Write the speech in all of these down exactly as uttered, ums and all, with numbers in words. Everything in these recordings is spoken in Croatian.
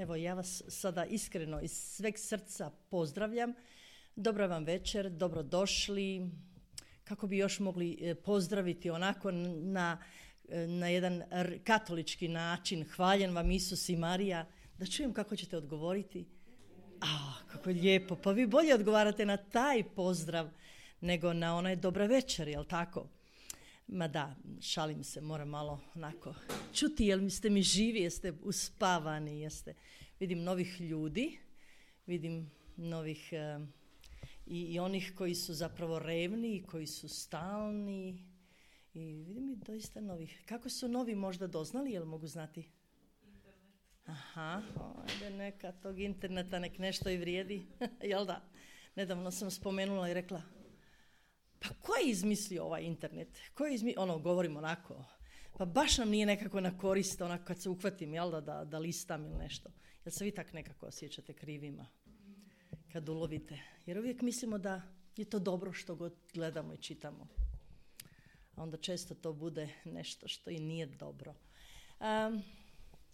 Evo, ja vas sada iskreno iz sveg srca pozdravljam. Dobra vam večer, dobrodošli. Kako bi još mogli pozdraviti onako na, na jedan katolički način. Hvaljen vam Isus i Marija. Da čujem kako ćete odgovoriti. A, kako je lijepo. Pa vi bolje odgovarate na taj pozdrav nego na onaj dobra večer, jel tako? Ma da, šalim se, moram malo onako čuti, jel ste mi živi, jeste uspavani, jeste. Vidim novih ljudi, vidim novih uh, i, i onih koji su zapravo revni i koji su stalni i vidim i doista novih. Kako su novi možda doznali, jel mogu znati? Internet. Aha, ajde neka tog interneta nek nešto i vrijedi, jel da? Nedavno sam spomenula i rekla, pa ko je izmislio ovaj internet? Ko je izmislio, ono, govorim onako, pa baš nam nije nekako na korist, onako kad se uhvatim, jel da, da, da listam ili nešto. Jel se vi tak nekako osjećate krivima kad ulovite? Jer uvijek mislimo da je to dobro što god gledamo i čitamo. A onda često to bude nešto što i nije dobro. Um,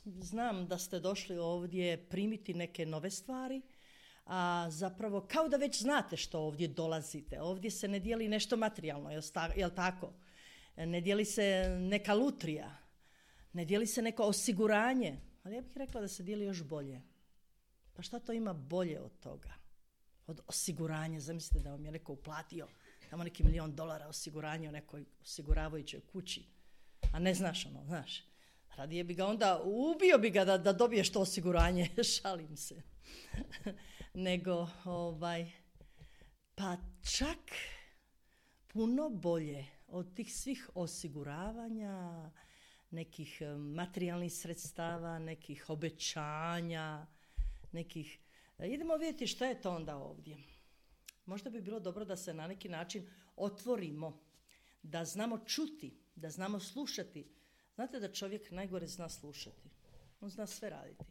znam da ste došli ovdje primiti neke nove stvari, a zapravo kao da već znate što ovdje dolazite. Ovdje se ne dijeli nešto materijalno, jel tako? Ne dijeli se neka lutrija, ne dijeli se neko osiguranje, ali ja bih rekla da se dijeli još bolje. Pa šta to ima bolje od toga? Od osiguranja, zamislite da vam je neko uplatio tamo neki milion dolara osiguranje u nekoj osiguravajućoj kući, a ne znaš ono, znaš. Radije bi ga onda, ubio bi ga da, da dobiješ to osiguranje, šalim se. Nego, ovaj, pa čak puno bolje od tih svih osiguravanja, nekih materijalnih sredstava, nekih obećanja, nekih... Idemo vidjeti šta je to onda ovdje. Možda bi bilo dobro da se na neki način otvorimo, da znamo čuti, da znamo slušati. Znate da čovjek najgore zna slušati. On zna sve raditi.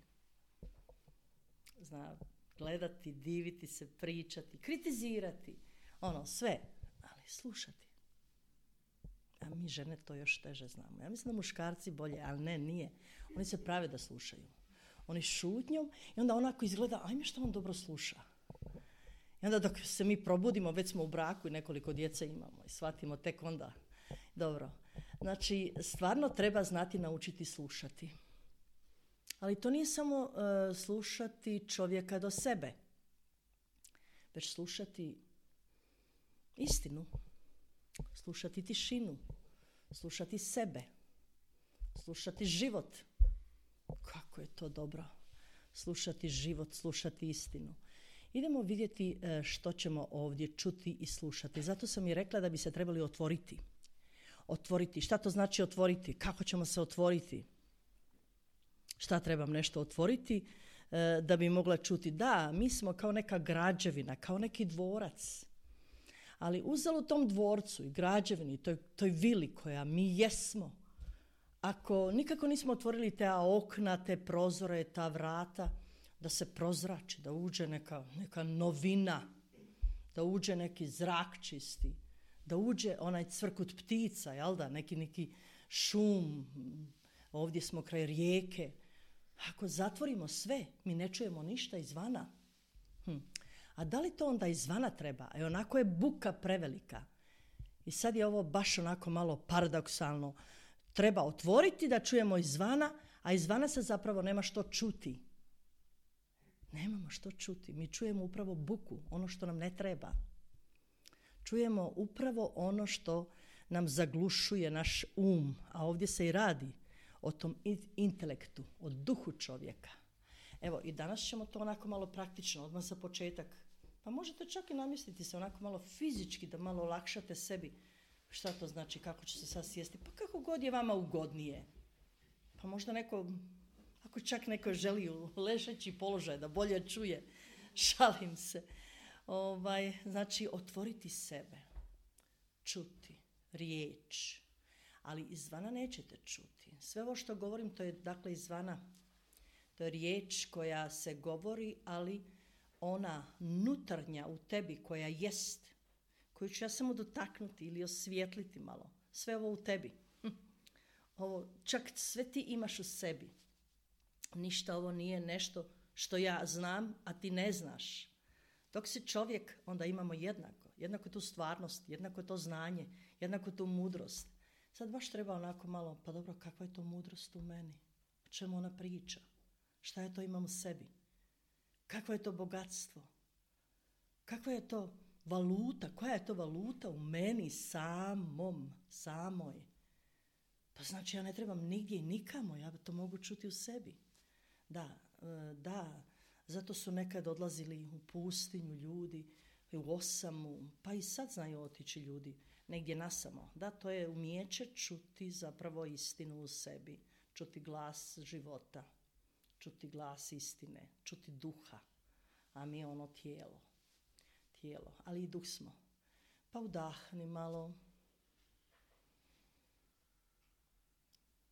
Zna gledati, diviti se, pričati, kritizirati. Ono, sve. Ali slušati. A mi žene to još teže znamo. Ja mislim da muškarci bolje, ali ne, nije. Oni se prave da slušaju. Oni šutnjom i onda onako izgleda, ajme što on dobro sluša. I onda dok se mi probudimo, već smo u braku i nekoliko djece imamo i shvatimo tek onda. Dobro. Znači, stvarno treba znati naučiti slušati. Ali to nije samo uh, slušati čovjeka do sebe, već slušati istinu, slušati tišinu, slušati sebe, slušati život. Kako je to dobro, slušati život, slušati istinu. Idemo vidjeti uh, što ćemo ovdje čuti i slušati. Zato sam i rekla da bi se trebali otvoriti. Otvoriti. Šta to znači otvoriti? Kako ćemo se otvoriti? Šta trebam nešto otvoriti e, da bi mogla čuti? Da, mi smo kao neka građevina, kao neki dvorac. Ali uzelo tom dvorcu i građevini, toj, toj vili koja mi jesmo, ako nikako nismo otvorili te okna, te prozore, ta vrata, da se prozrači, da uđe neka, neka novina, da uđe neki zrak čisti, da uđe onaj cvrkut ptica, jel da, neki, neki šum, ovdje smo kraj rijeke. Ako zatvorimo sve, mi ne čujemo ništa izvana. Hm. A da li to onda izvana treba? E onako je buka prevelika. I sad je ovo baš onako malo paradoksalno. Treba otvoriti da čujemo izvana, a izvana se zapravo nema što čuti. Nemamo što čuti. Mi čujemo upravo buku, ono što nam ne treba. Čujemo upravo ono što nam zaglušuje naš um, a ovdje se i radi o tom intelektu, o duhu čovjeka. Evo, i danas ćemo to onako malo praktično, odmah za početak. Pa možete čak i namjestiti se onako malo fizički, da malo olakšate sebi. Šta to znači, kako će se sad sjesti? Pa kako god je vama ugodnije. Pa možda neko, ako čak neko želi u ležeći položaj da bolje čuje, šalim se. Ovaj, znači, otvoriti sebe, čuti riječ, ali izvana nećete čuti. Sve ovo što govorim, to je dakle izvana. To je riječ koja se govori, ali ona nutarnja u tebi koja jest, koju ću ja samo dotaknuti ili osvijetliti malo. Sve ovo u tebi. Ovo, čak sve ti imaš u sebi. ništa ovo nije nešto što ja znam, a ti ne znaš. Dok si čovjek, onda imamo jednako. Jednako tu stvarnost, jednako to znanje, jednako tu mudrost. Sad baš treba onako malo, pa dobro, kakva je to mudrost u meni? O čemu ona priča? Šta ja to imam u sebi? Kakvo je to bogatstvo? Kakva je to valuta? Koja je to valuta u meni samom, samoj? Pa znači ja ne trebam nigdje i nikamo, ja to mogu čuti u sebi. Da, da, zato su nekad odlazili u pustinju ljudi, u osamu, pa i sad znaju otići ljudi negdje nasamo. Da, to je umijeće čuti zapravo istinu u sebi, čuti glas života, čuti glas istine, čuti duha, a mi ono tijelo, tijelo, ali i duh smo. Pa udahni malo,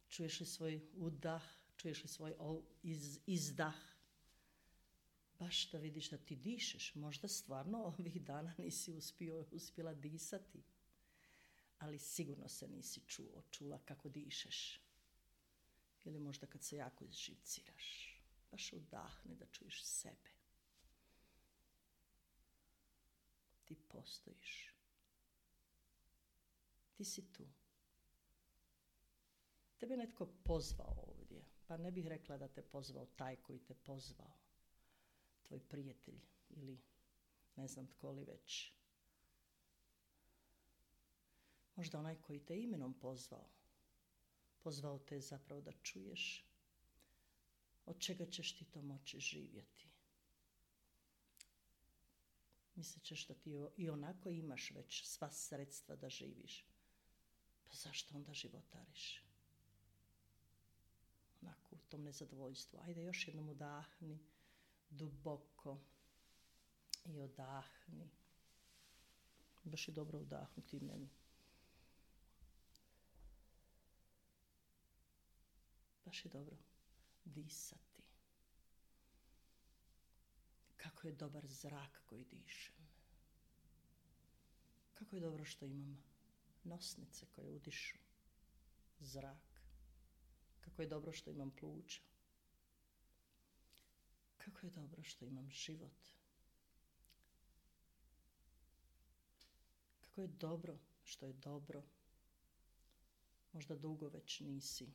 čuješ li svoj udah, čuješ li svoj iz, izdah, baš da vidiš da ti dišeš. Možda stvarno ovih dana nisi uspio, uspjela disati, ali sigurno se nisi čuo, čula kako dišeš. Ili možda kad se jako izživciraš, baš udahni da čuješ sebe. Ti postojiš. Ti si tu. Tebe netko pozvao ovdje, pa ne bih rekla da te pozvao taj koji te pozvao. Tvoj prijatelj ili ne znam tko li već. Možda onaj koji te imenom pozvao. Pozvao te zapravo da čuješ od čega ćeš ti to moći živjeti. Mislit ćeš da ti i onako imaš već sva sredstva da živiš. Pa zašto onda životariš? Onako u tom nezadovoljstvu. Ajde još jednom udahni. Duboko i odahni. Baš je dobro udahnuti meni. Baš je dobro disati. Kako je dobar zrak koji dišem. Kako je dobro što imam nosnice koje udišu zrak. Kako je dobro što imam pluća. Kako je dobro što imam život. Kako je dobro što je dobro. Možda dugo već nisi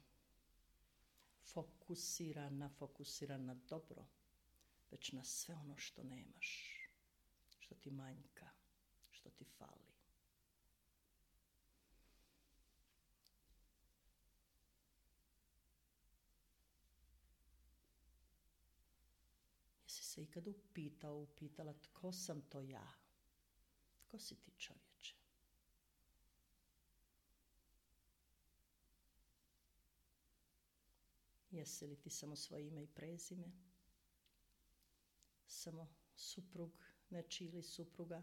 fokusirana, fokusiran na dobro, već na sve ono što nemaš, što ti manjka, što ti fali. Jesi se ikad upitao, upitala tko sam to ja? Tko si ti, čovječe? Jesi li ti samo svoje ime i prezime? Samo suprug nečiji ili supruga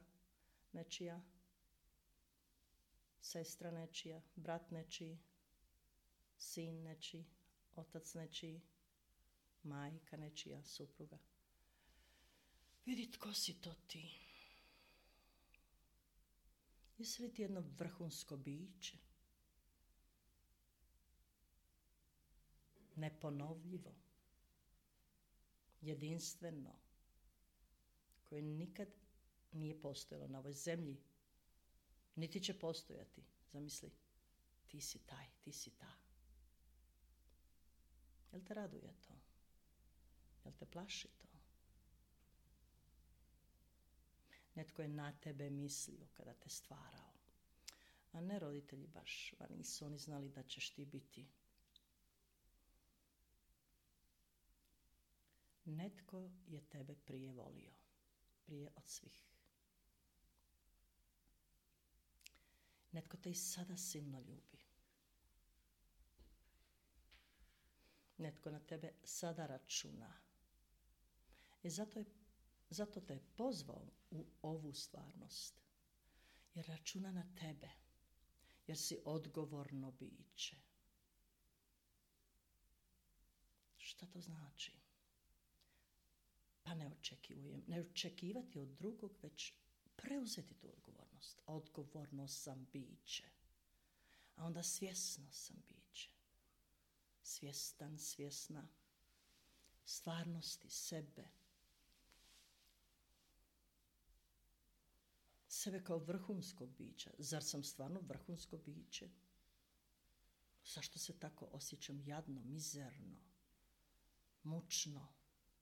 nečija? Sestra nečija, brat nečiji, sin nečiji, otac nečiji, majka nečija, supruga. Vidi tko si to ti. Jesi li ti jedno vrhunsko biće? Neponovljivo, jedinstveno, koje nikad nije postojalo na ovoj zemlji, niti će postojati. Zamisli, ti si taj, ti si ta. Jel te raduje to? Jel te plaši to? Netko je na tebe mislio kada te stvarao, a ne roditelji baš, a nisu oni znali da ćeš ti biti. Netko je tebe prije volio, prije od svih. Netko te i sada silno ljubi. Netko na tebe sada računa. I zato, je, zato te je pozvao u ovu stvarnost. Jer računa na tebe. Jer si odgovorno biće. Šta to znači? Pa ne očekujem, ne očekivati od drugog, već preuzeti tu odgovornost. Odgovorno sam biće. A onda svjesno sam biće. Svjestan, svjesna stvarnosti sebe. Sebe kao vrhunskog bića. Zar sam stvarno vrhunsko biće? Zašto se tako osjećam jadno, mizerno, mučno,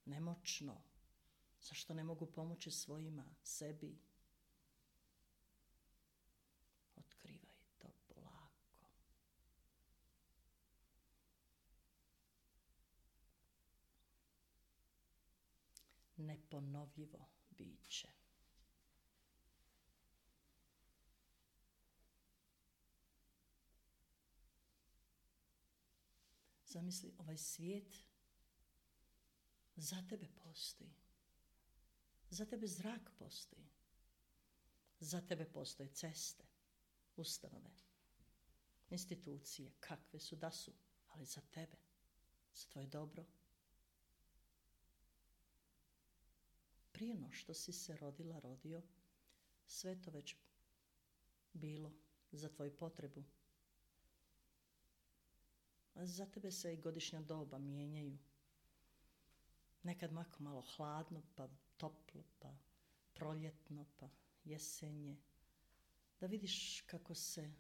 nemoćno? Zašto ne mogu pomoći svojima, sebi? Otkrivaj to polako. Neponovljivo biće. Zamisli, ovaj svijet za tebe postoji. Za tebe zrak postoji. Za tebe postoje ceste, ustanove, institucije, kakve su da su, ali za tebe, za tvoje dobro. Prije no što si se rodila, rodio, sve to već bilo za tvoju potrebu. A za tebe se i godišnja doba mijenjaju. Nekad mako malo hladno, pa toplo, pa proljetno, pa jesenje. Da vidiš kako se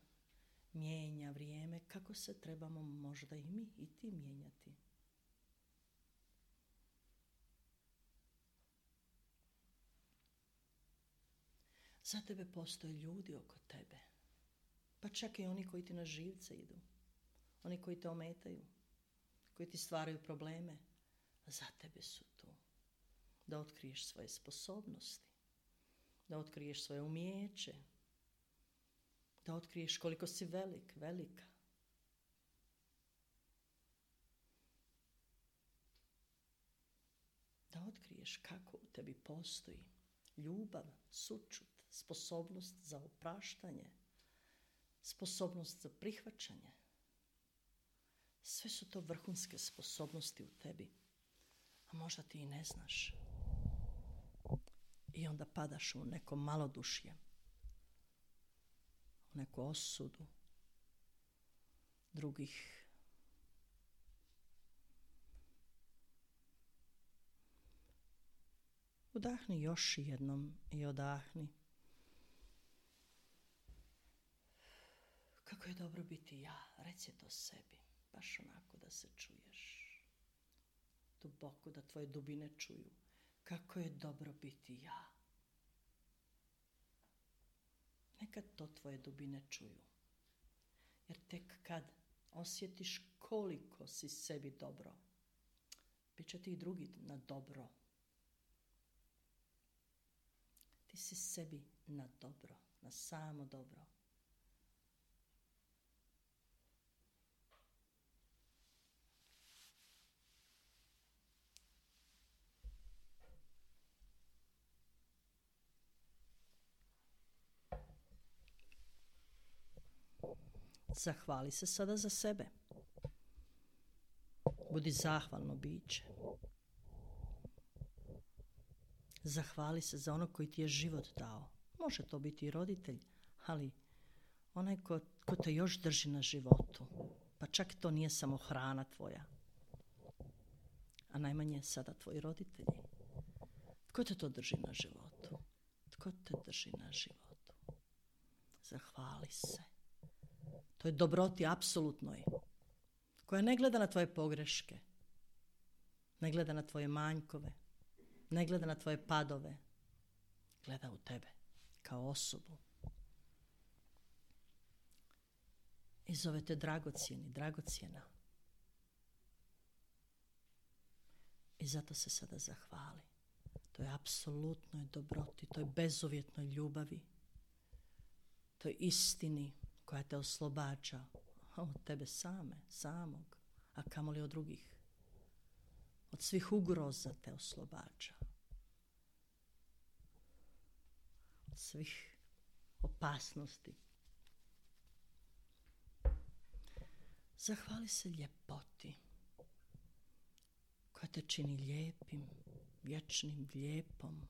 mijenja vrijeme, kako se trebamo možda i mi i ti mijenjati. Za tebe postoje ljudi oko tebe, pa čak i oni koji ti na živce idu, oni koji te ometaju, koji ti stvaraju probleme, za tebe su tu. Da otkriješ svoje sposobnosti, da otkriješ svoje umijeće, da otkriješ koliko si velik, velika. Da otkriješ kako u tebi postoji ljubav, sućut, sposobnost za opraštanje, sposobnost za prihvaćanje. Sve su to vrhunske sposobnosti u tebi, a možda ti i ne znaš. I onda padaš u neko malodušje, u neku osudu drugih. Udahni još jednom i odahni. Kako je dobro biti ja, reci to sebi, baš onako da se čuješ. Duboko, da tvoje dubine čuju. Kako je dobro biti ja. Neka to tvoje dubine čuju. Jer tek kad osjetiš koliko si sebi dobro, bit će ti i drugi na dobro. Ti si sebi na dobro, na samo dobro. Zahvali se sada za sebe. Budi zahvalno biće. Zahvali se za ono koji ti je život dao. Može to biti i roditelj, ali onaj ko, ko te još drži na životu. Pa čak to nije samo hrana tvoja. A najmanje sada tvoji roditelji. Tko te to drži na životu? Tko te drži na životu? Zahvali se. To je dobroti apsolutnoj, koja ne gleda na tvoje pogreške, ne gleda na tvoje manjkove, ne gleda na tvoje padove, gleda u tebe kao osobu. I zove te dragocjeni, dragocjena. I zato se sada zahvali. To je apsolutnoj dobroti, to je bezuvjetnoj ljubavi, to je istini koja te oslobađa od tebe same, samog, a kamoli od drugih. Od svih ugroza te oslobađa. Od svih opasnosti. Zahvali se ljepoti koja te čini lijepim, vječnim, lijepom.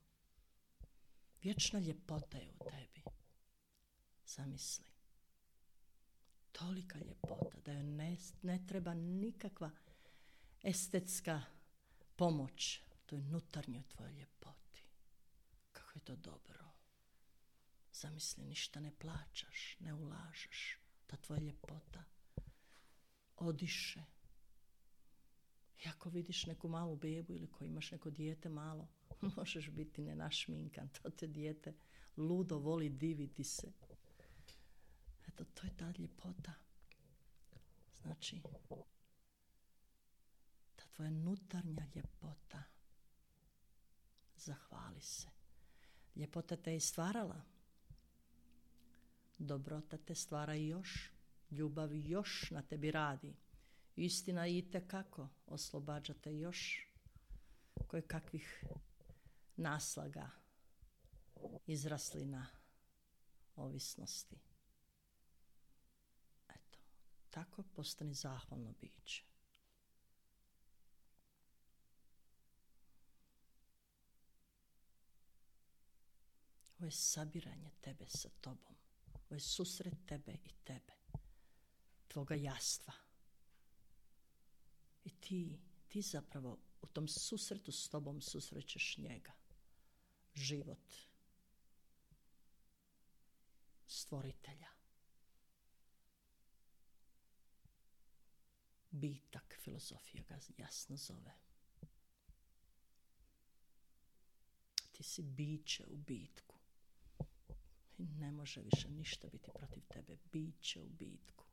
Vječna ljepota je u tebi. Zamisli. Tolika ljepota da joj ne, ne treba nikakva estetska pomoć toj nutarnjoj tvojoj ljepoti. Kako je to dobro. Zamisli, ništa ne plaćaš, ne ulažeš. Ta tvoja ljepota odiše. I ako vidiš neku malu bebu ili ko imaš neko dijete malo, možeš biti nenašminkan. To te dijete ludo voli diviti se. Eto, to je ta ljepota. Znači, ta tvoja nutarnja ljepota. Zahvali se. Ljepota te je stvarala. Dobrota te stvara i još. Ljubav još na tebi radi. Istina itekako oslobađate još koje kakvih naslaga, izraslina, ovisnosti. Eto, tako postani zahvalno biće. Ovo je sabiranje tebe sa tobom. Ovo je susret tebe i tebe. Tvoga jastva. I ti, ti zapravo u tom susretu s tobom susrećeš njega. Život. Stvoritelja. Bitak, filozofija ga jasno zove. Ti si biće u bitku. I ne može više ništa biti protiv tebe. Biće u bitku.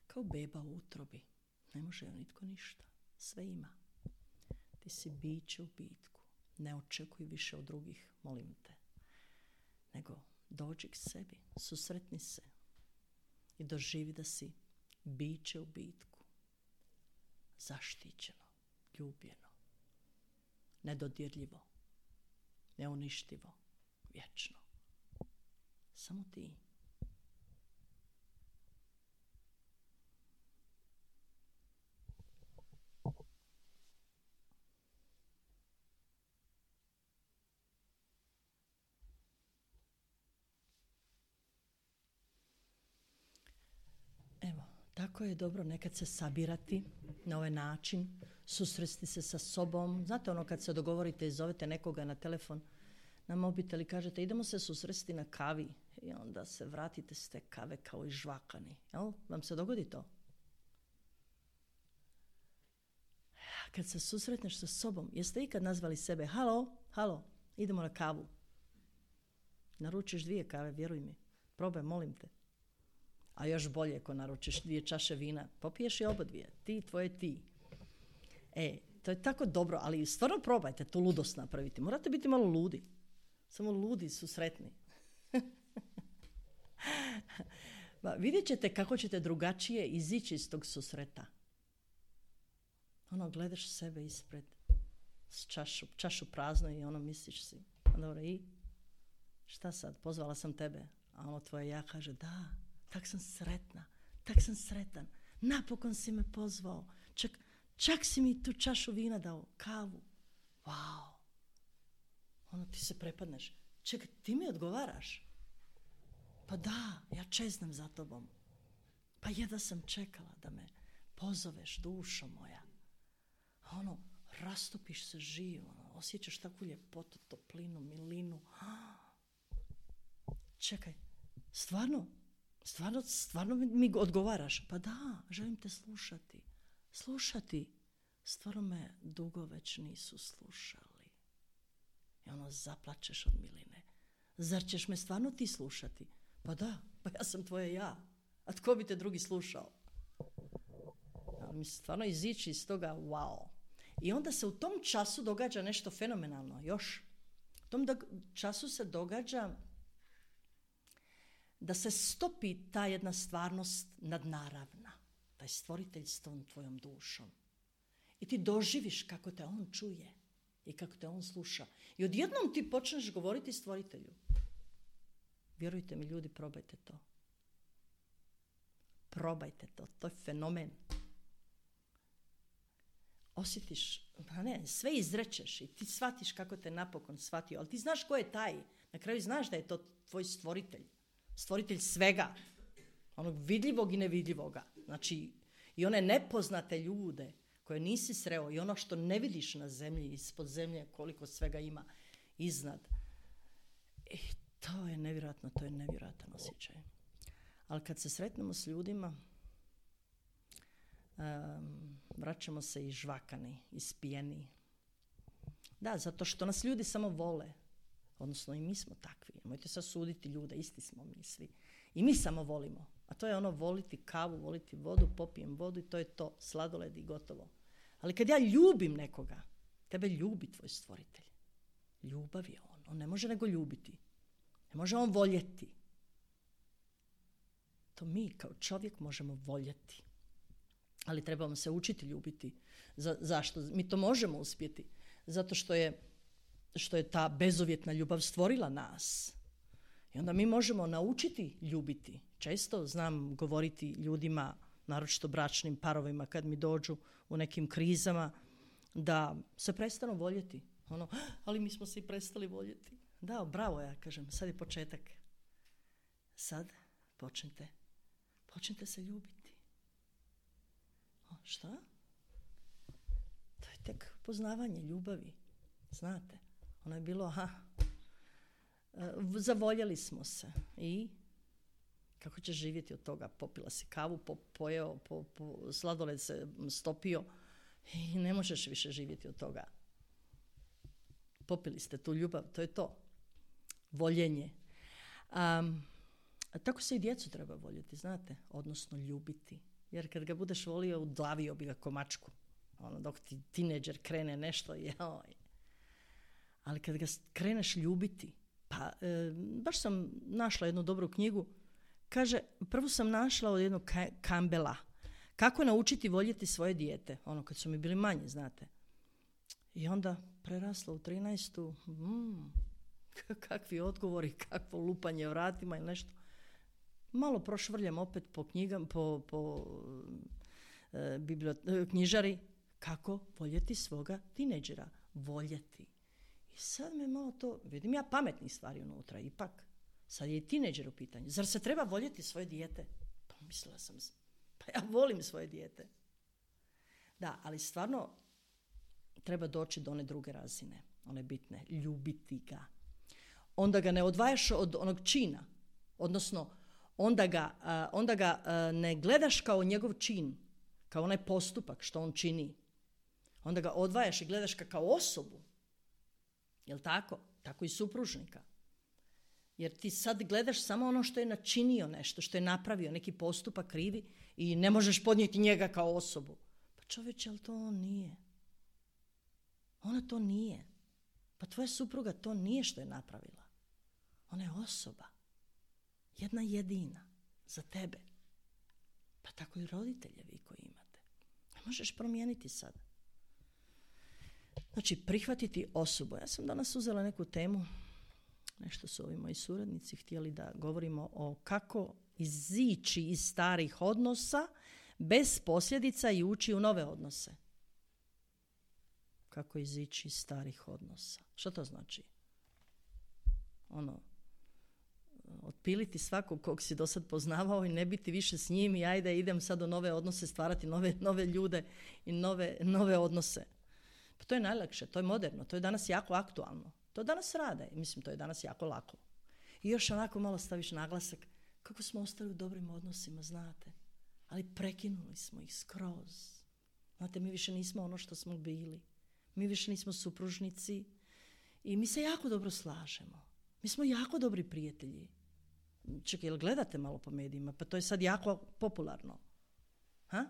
Kao beba u utrobi. Ne može joj nitko ništa. Sve ima. Ti si biće u bitku. Ne očekuj više od drugih, molim te. Nego dođi k sebi, susretni se i doživi da si biće u bitku. Zaštićeno, ljubljeno, nedodirljivo, neuništivo, vječno. Samo ti. Evo, tako je dobro nekad se sabirati na ovaj način, susresti se sa sobom. Znate ono kad se dogovorite i zovete nekoga na telefon, na mobitel i kažete idemo se susresti na kavi i onda se vratite s te kave kao i žvakani. Jel? Vam se dogodi to? Kad se susretneš sa sobom, jeste ikad nazvali sebe halo, halo, idemo na kavu. Naručiš dvije kave, vjeruj mi. Probaj, molim te. A još bolje ako naručiš dvije čaše vina, popiješ i oba dvije. Ti, tvoje ti. E, to je tako dobro, ali stvarno probajte tu ludost napraviti. Morate biti malo ludi. Samo ludi su sretni. Ba, vidjet ćete kako ćete drugačije izići iz tog susreta. Ono, gledaš sebe ispred s čašu, čašu prazno i ono misliš si. Dobro, i šta sad? Pozvala sam tebe. A ono tvoje ja kaže, da, tak sam sretna, tak sam sretan. Napokon si me pozvao. Čak, čak si mi tu čašu vina dao, kavu. Wow. Ono, ti se prepadneš. Čekaj, ti mi odgovaraš? Pa da, ja čeznem za tobom. Pa jedva sam čekala da me pozoveš, dušo moja. Ono, rastopiš se živo, ono, osjećaš takvu ljepotu, toplinu, milinu. Čekaj, stvarno, stvarno, stvarno mi odgovaraš? Pa da, želim te slušati. Slušati. Stvarno me dugo već nisu slušali. I ono, zaplačeš od miline. Zar ćeš me stvarno ti slušati? Pa da, pa ja sam tvoje ja. A tko bi te drugi slušao? A mi stvarno izići iz toga, wow. I onda se u tom času događa nešto fenomenalno, još. U tom času se događa da se stopi ta jedna stvarnost nadnaravna. Taj stvoritelj s tom tvojom dušom. I ti doživiš kako te on čuje i kako te on sluša. I odjednom ti počneš govoriti stvoritelju. Vjerujte mi, ljudi, probajte to. Probajte to, to je fenomen. Osjetiš, ne, sve izrečeš i ti shvatiš kako te napokon shvatio, ali ti znaš ko je taj. Na kraju znaš da je to tvoj stvoritelj. Stvoritelj svega. Onog vidljivog i nevidljivoga. Znači, i one nepoznate ljude koje nisi sreo i ono što ne vidiš na zemlji, ispod zemlje, koliko svega ima iznad. I to je nevjerojatno, to je nevjerojatan osjećaj. Ali kad se sretnemo s ljudima, um, vraćamo se i žvakani, ispijeni. Da, zato što nas ljudi samo vole. Odnosno i mi smo takvi. Nemojte sad suditi ljude, isti smo mi svi. I mi samo volimo. A to je ono voliti kavu, voliti vodu, popijem vodu i to je to. Sladoled i gotovo. Ali kad ja ljubim nekoga, tebe ljubi tvoj stvoritelj. Ljubav je on. On ne može nego ljubiti. Ne može on voljeti. To mi kao čovjek možemo voljeti. Ali trebamo se učiti ljubiti. Za, zašto? Mi to možemo uspjeti. Zato što je, što je ta bezuvjetna ljubav stvorila nas. I onda mi možemo naučiti ljubiti. Često znam govoriti ljudima, naročito bračnim parovima, kad mi dođu u nekim krizama, da se prestanu voljeti. Ono, ali mi smo se i prestali voljeti. Da, bravo, ja kažem, sad je početak. Sad počnite. Počnite se ljubiti. O, šta? To je tek poznavanje ljubavi. Znate, ono je bilo, aha, zavoljeli smo se. I kako ćeš živjeti od toga? Popila si kavu, po, pojeo, po, po, sladoled se stopio i ne možeš više živjeti od toga. Popili ste tu ljubav, to je to. Voljenje. Um, tako se i djecu treba voljeti, znate, odnosno ljubiti. Jer kad ga budeš volio, udlavio bi ga ko mačku. Ono, dok ti tineđer krene nešto, joj. Ali kad ga kreneš ljubiti, pa e, baš sam našla jednu dobru knjigu, kaže, prvo sam našla od jednog Campbella, kako naučiti voljeti svoje dijete, ono kad su mi bili manji, znate. I onda prerasla u trinaestu, mm, kakvi odgovori, kakvo lupanje vratima ili nešto. Malo prošvrljam opet po knjigama, po, po e, bibliot- knjižari, kako voljeti svoga tineđera. Voljeti. I sad me malo to, vidim ja pametnih stvari unutra, ipak. Sad je i tineđer u pitanju. Zar se treba voljeti svoje dijete? Pa mislila sam, pa ja volim svoje dijete. Da, ali stvarno treba doći do one druge razine, one bitne, ljubiti ga. Onda ga ne odvajaš od onog čina, odnosno onda ga, uh, onda ga uh, ne gledaš kao njegov čin, kao onaj postupak što on čini. Onda ga odvajaš i gledaš ga kao osobu. Jel' tako? Tako i supružnika. Jer ti sad gledaš samo ono što je načinio nešto, što je napravio, neki postupak krivi i ne možeš podnijeti njega kao osobu. Pa čovječe, ali to on nije. Ona to nije. Pa tvoja supruga to nije što je napravila. Ona je osoba. Jedna jedina. Za tebe. Pa tako i roditeljevi koji imate. Ne možeš promijeniti sad. Znači, prihvatiti osobu. Ja sam danas uzela neku temu, nešto su ovi moji suradnici htjeli da govorimo o kako izići iz starih odnosa bez posljedica i ući u nove odnose. Kako izići iz starih odnosa. Što to znači? Ono, otpiliti svakog kog si do sad poznavao i ne biti više s njim i ajde idem sad u nove odnose, stvarati nove, nove ljude i nove, nove odnose. Pa to je najlakše, to je moderno, to je danas jako aktualno. To danas rade i mislim to je danas jako lako. I još onako malo staviš naglasak kako smo ostali u dobrim odnosima, znate. Ali prekinuli smo ih skroz. Znate, mi više nismo ono što smo bili. Mi više nismo supružnici i mi se jako dobro slažemo. Mi smo jako dobri prijatelji. Čekaj, jel gledate malo po medijima? Pa to je sad jako popularno. Ha?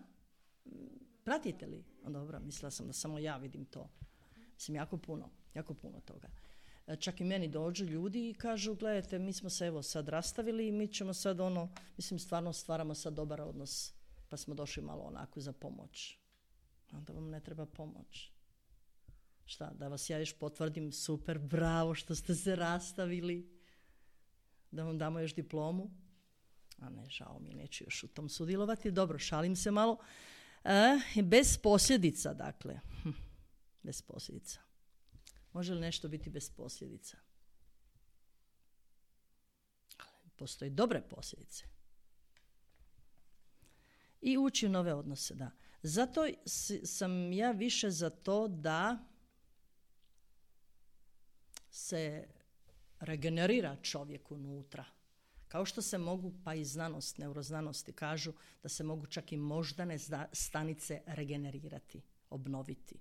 Pratite li? O, dobro, mislila sam da samo ja vidim to. Mislim, jako puno, jako puno toga. Čak i meni dođu ljudi i kažu, gledajte, mi smo se evo sad rastavili i mi ćemo sad ono, mislim, stvarno stvaramo sad dobar odnos, pa smo došli malo onako za pomoć. Onda vam ne treba pomoć. Šta, da vas ja još potvrdim, super, bravo što ste se rastavili, da vam damo još diplomu. A ne, žao mi, neću još u tom sudjelovati. Dobro, šalim se malo. E, bez posljedica, dakle. Hm, bez posljedica. Može li nešto biti bez posljedica? Postoje dobre posljedice. I ući u nove odnose, da. Zato sam ja više za to da se regenerira čovjek unutra. Kao što se mogu, pa i znanost, neuroznanosti kažu da se mogu čak i moždane stanice regenerirati, obnoviti.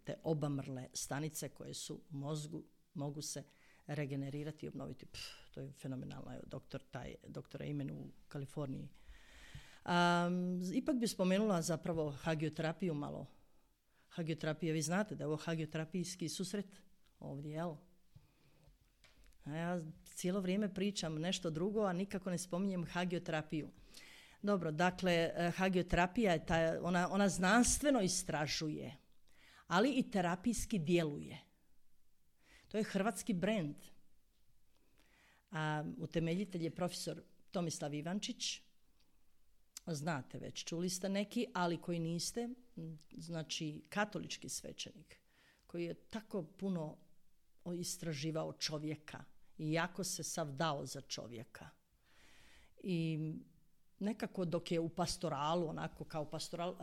Te obamrle stanice koje su u mozgu mogu se regenerirati i obnoviti. Pff, to je fenomenalno. Evo, doktor, taj, doktor Amen u Kaliforniji. Um, ipak bi spomenula zapravo hagioterapiju malo. Hagioterapija, vi znate da je ovo hagioterapijski susret ovdje, jel? A ja cijelo vrijeme pričam nešto drugo, a nikako ne spominjem hagioterapiju. Dobro, dakle, hagioterapija je ta, ona, ona znanstveno istražuje, ali i terapijski djeluje. To je hrvatski brend. A utemeljitelj je profesor Tomislav Ivančić. Znate već, čuli ste neki, ali koji niste, znači katolički svećenik, koji je tako puno istraživao čovjeka i jako se sav dao za čovjeka. I nekako dok je u pastoralu, onako kao pastoral,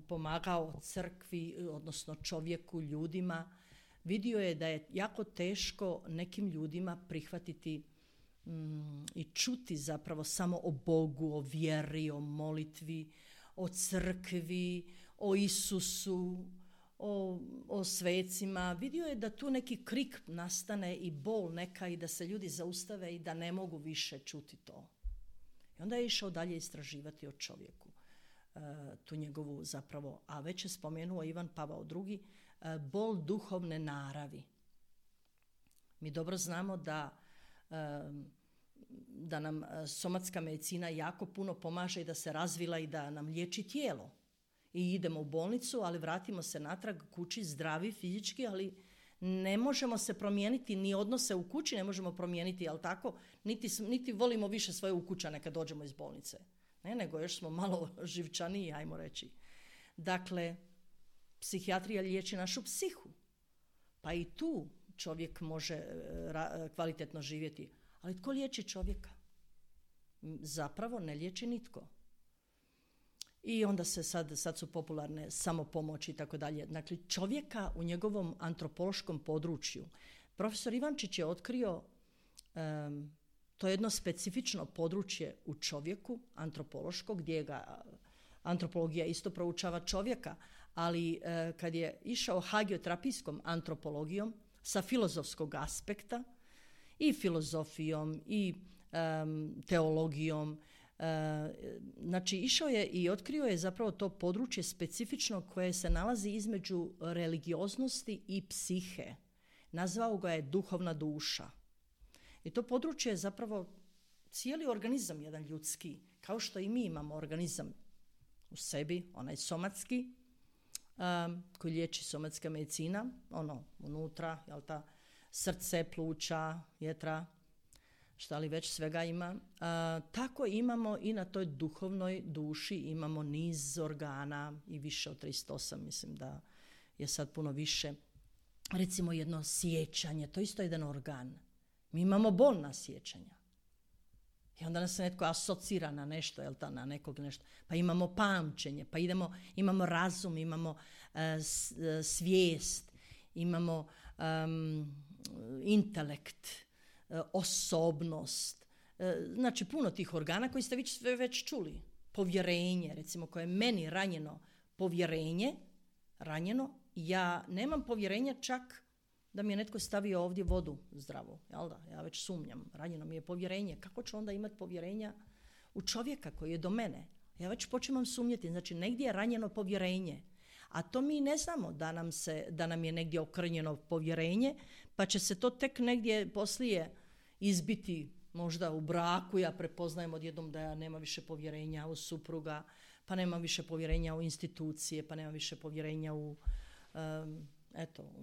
pomagao crkvi, odnosno čovjeku, ljudima, vidio je da je jako teško nekim ljudima prihvatiti mm, i čuti zapravo samo o Bogu, o vjeri, o molitvi, o crkvi, o Isusu, o, o svecima. Vidio je da tu neki krik nastane i bol neka i da se ljudi zaustave i da ne mogu više čuti to. I onda je išao dalje istraživati o čovjeku. E, tu njegovu zapravo, a već je spomenuo Ivan Pavao drugi, e, bol duhovne naravi. Mi dobro znamo da, e, da nam somatska medicina jako puno pomaže i da se razvila i da nam liječi tijelo. I idemo u bolnicu, ali vratimo se natrag kući zdravi fizički, ali ne možemo se promijeniti, ni odnose u kući ne možemo promijeniti, jel tako? Niti, niti volimo više svoje ukućane kad dođemo iz bolnice. Ne, nego još smo malo živčaniji, ajmo reći. Dakle, psihijatrija liječi našu psihu. Pa i tu čovjek može ra- kvalitetno živjeti. Ali tko liječi čovjeka? Zapravo ne liječi nitko. I onda se sad, sad su popularne samopomoći i tako dalje. Dakle, čovjeka u njegovom antropološkom području. Profesor Ivančić je otkrio um, to jedno specifično područje u čovjeku, antropološko, gdje ga antropologija isto proučava čovjeka, ali uh, kad je išao hagioterapijskom antropologijom sa filozofskog aspekta i filozofijom i um, teologijom, Uh, znači išao je i otkrio je zapravo to područje specifično koje se nalazi između religioznosti i psihe. Nazvao ga je duhovna duša. I to područje je zapravo cijeli organizam jedan ljudski, kao što i mi imamo organizam u sebi, onaj somatski, um, koji liječi somatska medicina, ono unutra, jel ta, srce, pluća, jetra, šta li već svega ima. A, tako imamo i na toj duhovnoj duši imamo niz organa i više od tristo osam, mislim da je sad puno više. Recimo jedno sjećanje, to je isto jedan organ. Mi imamo bolna sjećanja. I onda nas se netko asocira na nešto, jel ta, na nekog nešto. Pa imamo pamćenje, pa idemo, imamo razum, imamo uh, svijest, imamo um, intelekt, osobnost, znači puno tih organa koji ste već, već čuli. Povjerenje, recimo, koje je meni ranjeno povjerenje, ranjeno, ja nemam povjerenja čak da mi je netko stavio ovdje vodu zdravu, jel da? Ja već sumnjam, ranjeno mi je povjerenje. Kako ću onda imati povjerenja u čovjeka koji je do mene? Ja već počinjem sumnjati, znači negdje je ranjeno povjerenje. A to mi ne znamo da nam, se, da nam je negdje okrnjeno povjerenje, pa će se to tek negdje poslije izbiti možda u braku. Ja prepoznajem odjednom da ja nema više povjerenja u supruga, pa nema više povjerenja u institucije, pa nema više povjerenja u, um, eto,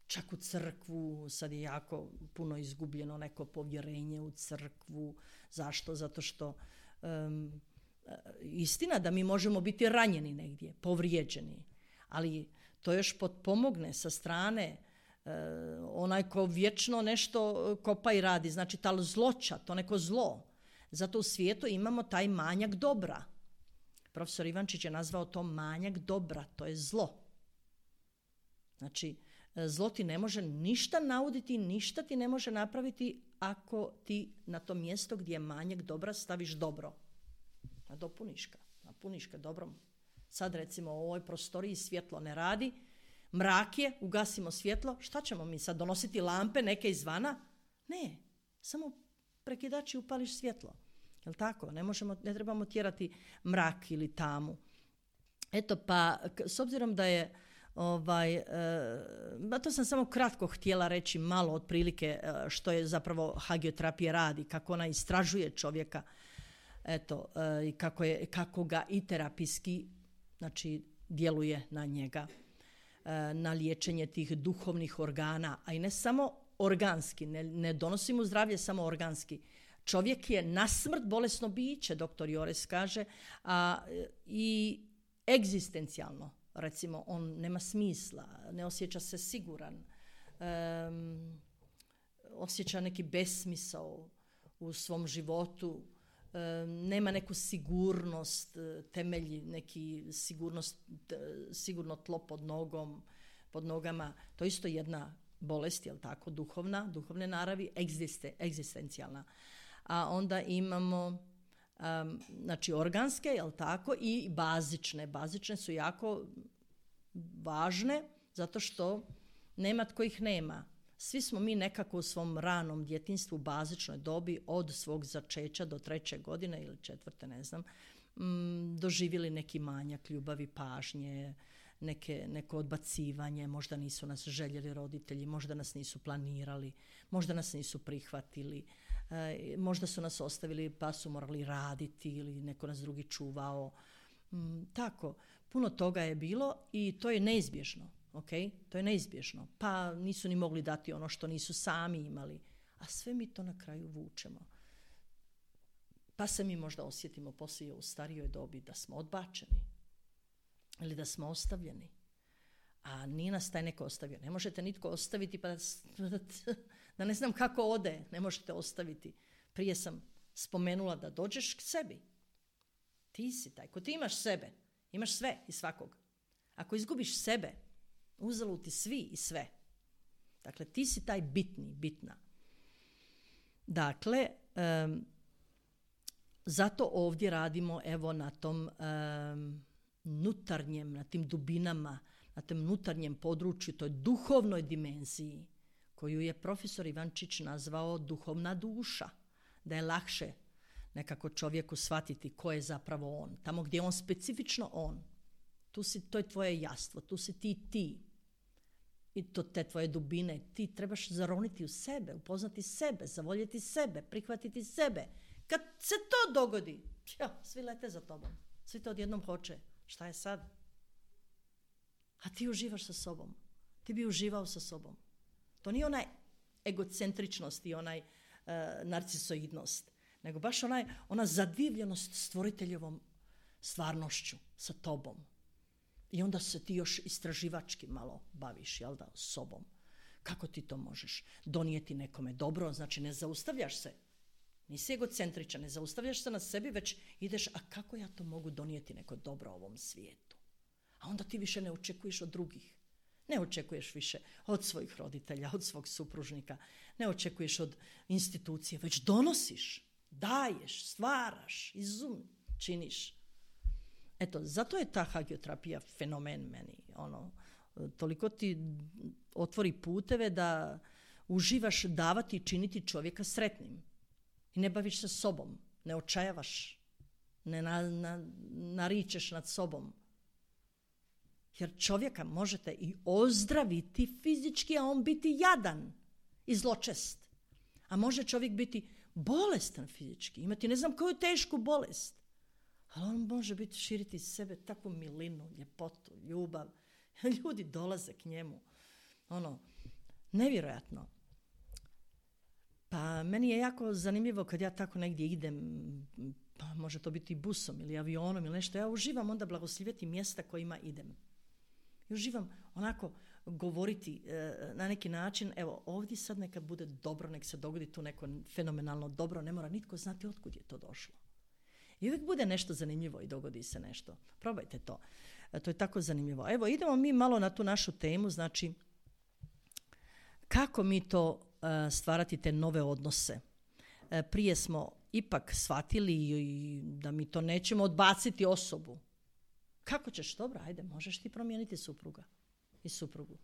čak u crkvu. Sad je jako puno izgubljeno neko povjerenje u crkvu. Zašto? Zato što um, istina da mi možemo biti ranjeni negdje, povrijeđeni, ali to još potpomogne sa strane uh, onaj ko vječno nešto kopa i radi, znači ta zloća, to neko zlo. Zato u svijetu imamo taj manjak dobra. profesor Ivančić je nazvao to manjak dobra, to je zlo. Znači, zlo ti ne može ništa nauditi, ništa ti ne može napraviti ako ti na to mjesto gdje je manjak dobra staviš dobro. Nadopuniš ga, napuniš ga dobrom. Sad recimo u ovoj prostoriji svjetlo ne radi, mrak je, ugasimo svjetlo, šta ćemo mi sad donositi lampe neke izvana? Ne, samo prekidači upališ svjetlo. Jel tako? Ne možemo, ne trebamo tjerati mrak ili tamu. Eto pa, s obzirom da je Ovaj, e, to sam samo kratko htjela reći malo otprilike e, što je zapravo hagioterapija radi, kako ona istražuje čovjeka, eto, e, i kako, je, kako ga i terapijski, znači, djeluje na njega, e, na liječenje tih duhovnih organa, a i ne samo organski, ne, ne donosi mu zdravlje samo organski. Čovjek je na smrt bolesno biće, doktor Jores kaže, a i egzistencijalno. Recimo, on nema smisla, ne osjeća se siguran, um, osjeća neki besmisao u svom životu, um, nema neku sigurnost, temelji neki sigurnost, sigurno tlo pod nogom, pod nogama. To je isto jedna bolest, jel tako, duhovna, duhovne naravi, egziste, egzistencijalna. A onda imamo Um, znači organske, jel tako, i bazične. Bazične su jako važne zato što nema tko ih nema. Svi smo mi nekako u svom ranom djetinjstvu, bazičnoj dobi, od svog začeća do treće godine ili četvrte, ne znam, um, doživjeli neki manjak ljubavi, pažnje, neke, neko odbacivanje, možda nisu nas željeli roditelji, možda nas nisu planirali, možda nas nisu prihvatili, e, možda su nas ostavili pa su morali raditi ili neko nas drugi čuvao. Mm, tako, puno toga je bilo i to je neizbježno, ok? To je neizbježno. Pa nisu ni mogli dati ono što nisu sami imali, a sve mi to na kraju vučemo. Pa se mi možda osjetimo poslije u starijoj dobi da smo odbačeni ili da smo ostavljeni. A nije nas taj neko ostavio. Ne možete nitko ostaviti pa da, da ne znam kako ode. Ne možete ostaviti. Prije sam spomenula da dođeš k sebi. Ti si taj. Ko ti imaš sebe, imaš sve i svakog. Ako izgubiš sebe, uzalud ti svi i sve. Dakle, ti si taj bitni, bitna. Dakle, um, zato ovdje radimo evo na tom um, nutarnjem, na tim dubinama, na tom nutarnjem području, toj duhovnoj dimenziji, koju je profesor Ivančić nazvao duhovna duša, da je lakše nekako čovjeku shvatiti ko je zapravo on. Tamo gdje je on specifično on, tu si, to je tvoje jastvo, tu si ti ti. I to te tvoje dubine, ti trebaš zaroniti u sebe, upoznati sebe, zavoljeti sebe, prihvatiti sebe. Kad se to dogodi, ja, svi lete za tobom, svi to odjednom hoće. Šta je sad? A ti uživaš sa sobom. Ti bi uživao sa sobom. To nije onaj egocentričnost i onaj uh, narcisoidnost, nego baš onaj, ona zadivljenost stvoriteljevom stvarnošću sa tobom. I onda se ti još istraživački malo baviš, jel da, sobom. Kako ti to možeš donijeti nekome dobro? Znači ne zaustavljaš se. Nisi egocentričan, ne zaustavljaš se na sebi, već ideš, a kako ja to mogu donijeti neko dobro ovom svijetu? A onda ti više ne očekuješ od drugih. Ne očekuješ više od svojih roditelja, od svog supružnika. Ne očekuješ od institucije, već donosiš, daješ, stvaraš, izum činiš. Eto, zato je ta hagioterapija fenomen meni. Ono, toliko ti otvori puteve da uživaš davati i činiti čovjeka sretnim. I ne baviš se sobom, ne očajavaš, ne na, na, naričeš nad sobom. Jer čovjeka možete i ozdraviti fizički, a on biti jadan i zločest. A može čovjek biti bolestan fizički, imati ne znam koju tešku bolest. Ali on može biti, širiti iz sebe takvu milinu, ljepotu, ljubav. Ljudi dolaze k njemu. Ono, nevjerojatno. Pa meni je jako zanimljivo kad ja tako negdje idem, pa može to biti busom ili avionom ili nešto, ja uživam onda blagoslivjeti mjesta kojima idem. I uživam onako govoriti e, na neki način, evo ovdje sad neka bude dobro, nek se dogodi tu neko fenomenalno dobro, ne mora nitko znati otkud je to došlo. I uvijek bude nešto zanimljivo i dogodi se nešto. Probajte to. E, to je tako zanimljivo. Evo, idemo mi malo na tu našu temu, znači kako mi to uh, stvarati te nove odnose. E, prije smo ipak shvatili i da mi to nećemo odbaciti osobu. Kako ćeš? Dobro, ajde, možeš ti promijeniti supruga i suprugu.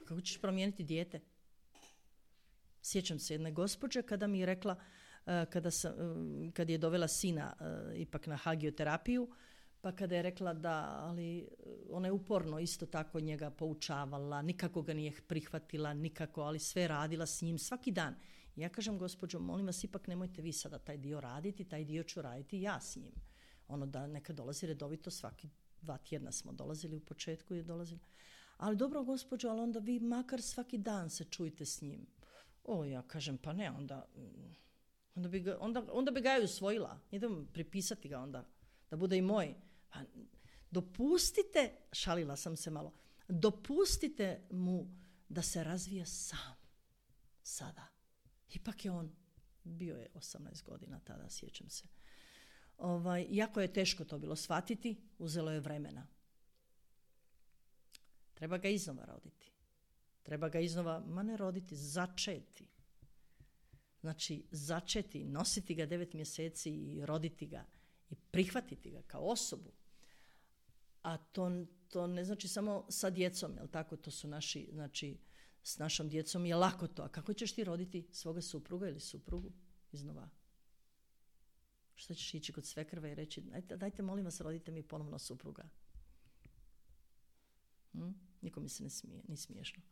A kako ćeš promijeniti dijete? Sjećam se jedne gospođe kada mi je rekla, kada, sam, kad je dovela sina ipak na hagioterapiju, pa kada je rekla da, ali ona je uporno isto tako njega poučavala, nikako ga nije prihvatila, nikako, ali sve radila s njim svaki dan. I ja kažem, gospođo, molim vas, ipak nemojte vi sada taj dio raditi, taj dio ću raditi ja s njim. Ono da neka dolazi redovito, svaki dva tjedna smo dolazili u početku i dolazili. Ali dobro, gospođo, ali onda vi makar svaki dan se čujte s njim. O, ja kažem, pa ne, onda, onda, bi, ga, onda, onda bi ga i usvojila. Idem pripisati ga onda, da bude i moj. Pa, dopustite, šalila sam se malo, dopustite mu da se razvija sam. Sada. Ipak je on, bio je osamnaest godina tada, sjećam se. Ovaj, iako je teško to bilo shvatiti, uzelo je vremena. Treba ga iznova roditi. Treba ga iznova, ma ne roditi, začeti. Znači, začeti, nositi ga devet mjeseci i roditi ga i prihvatiti ga kao osobu. A to, to ne znači samo sa djecom, jel tako? To su naši, znači, s našom djecom je lako to. A kako ćeš ti roditi svoga supruga ili suprugu iznova? Što ćeš ići kod svekrve i reći, dajte, dajte molim vas, rodite mi ponovno supruga. Hm? Niko mi se ne smije, ni smiješno.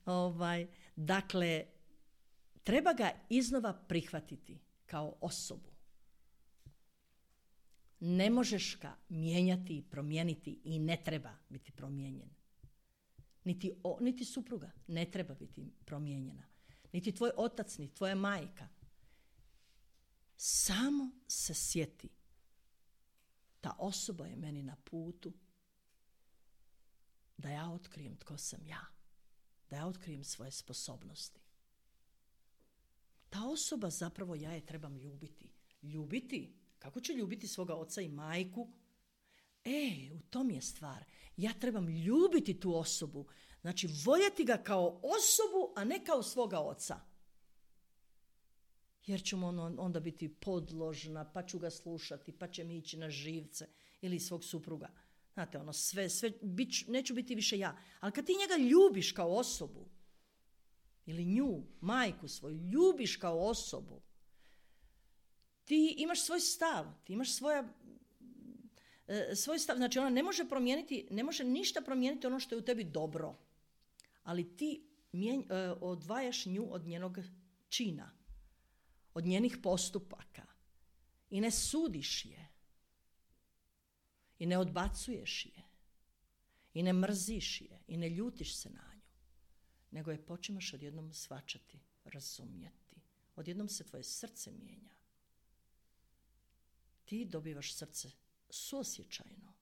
ovaj, dakle, treba ga iznova prihvatiti kao osobu. Ne možeš ga mijenjati i promijeniti i ne treba biti promijenjen. Niti, o, niti supruga ne treba biti promijenjena. Niti tvoj otac, niti tvoja majka. Samo se sjeti. Ta osoba je meni na putu da ja otkrijem tko sam ja. Da ja otkrijem svoje sposobnosti. Ta osoba zapravo ja je trebam ljubiti. Ljubiti? Kako ću ljubiti svoga oca i majku? E, u tom je stvar. Ja trebam ljubiti tu osobu. Znači, voljeti ga kao osobu, a ne kao svoga oca. Jer ću mu onda biti podložna, pa ću ga slušati, pa će mi ići na živce ili svog supruga. Znate, ono, sve, sve, bit, neću biti više ja. Ali kad ti njega ljubiš kao osobu, ili nju, majku svoju, ljubiš kao osobu, ti imaš svoj stav, ti imaš svoja, e, svoj stav, znači ona ne može promijeniti, ne može ništa promijeniti ono što je u tebi dobro, ali ti mijen, e, odvajaš nju od njenog čina, od njenih postupaka i ne sudiš je i ne odbacuješ je i ne mrziš je i ne ljutiš se na nju, nego je počneš odjednom shvaćati, razumjeti. Odjednom se tvoje srce mijenja. Ti dobivaš srce suosjećajno.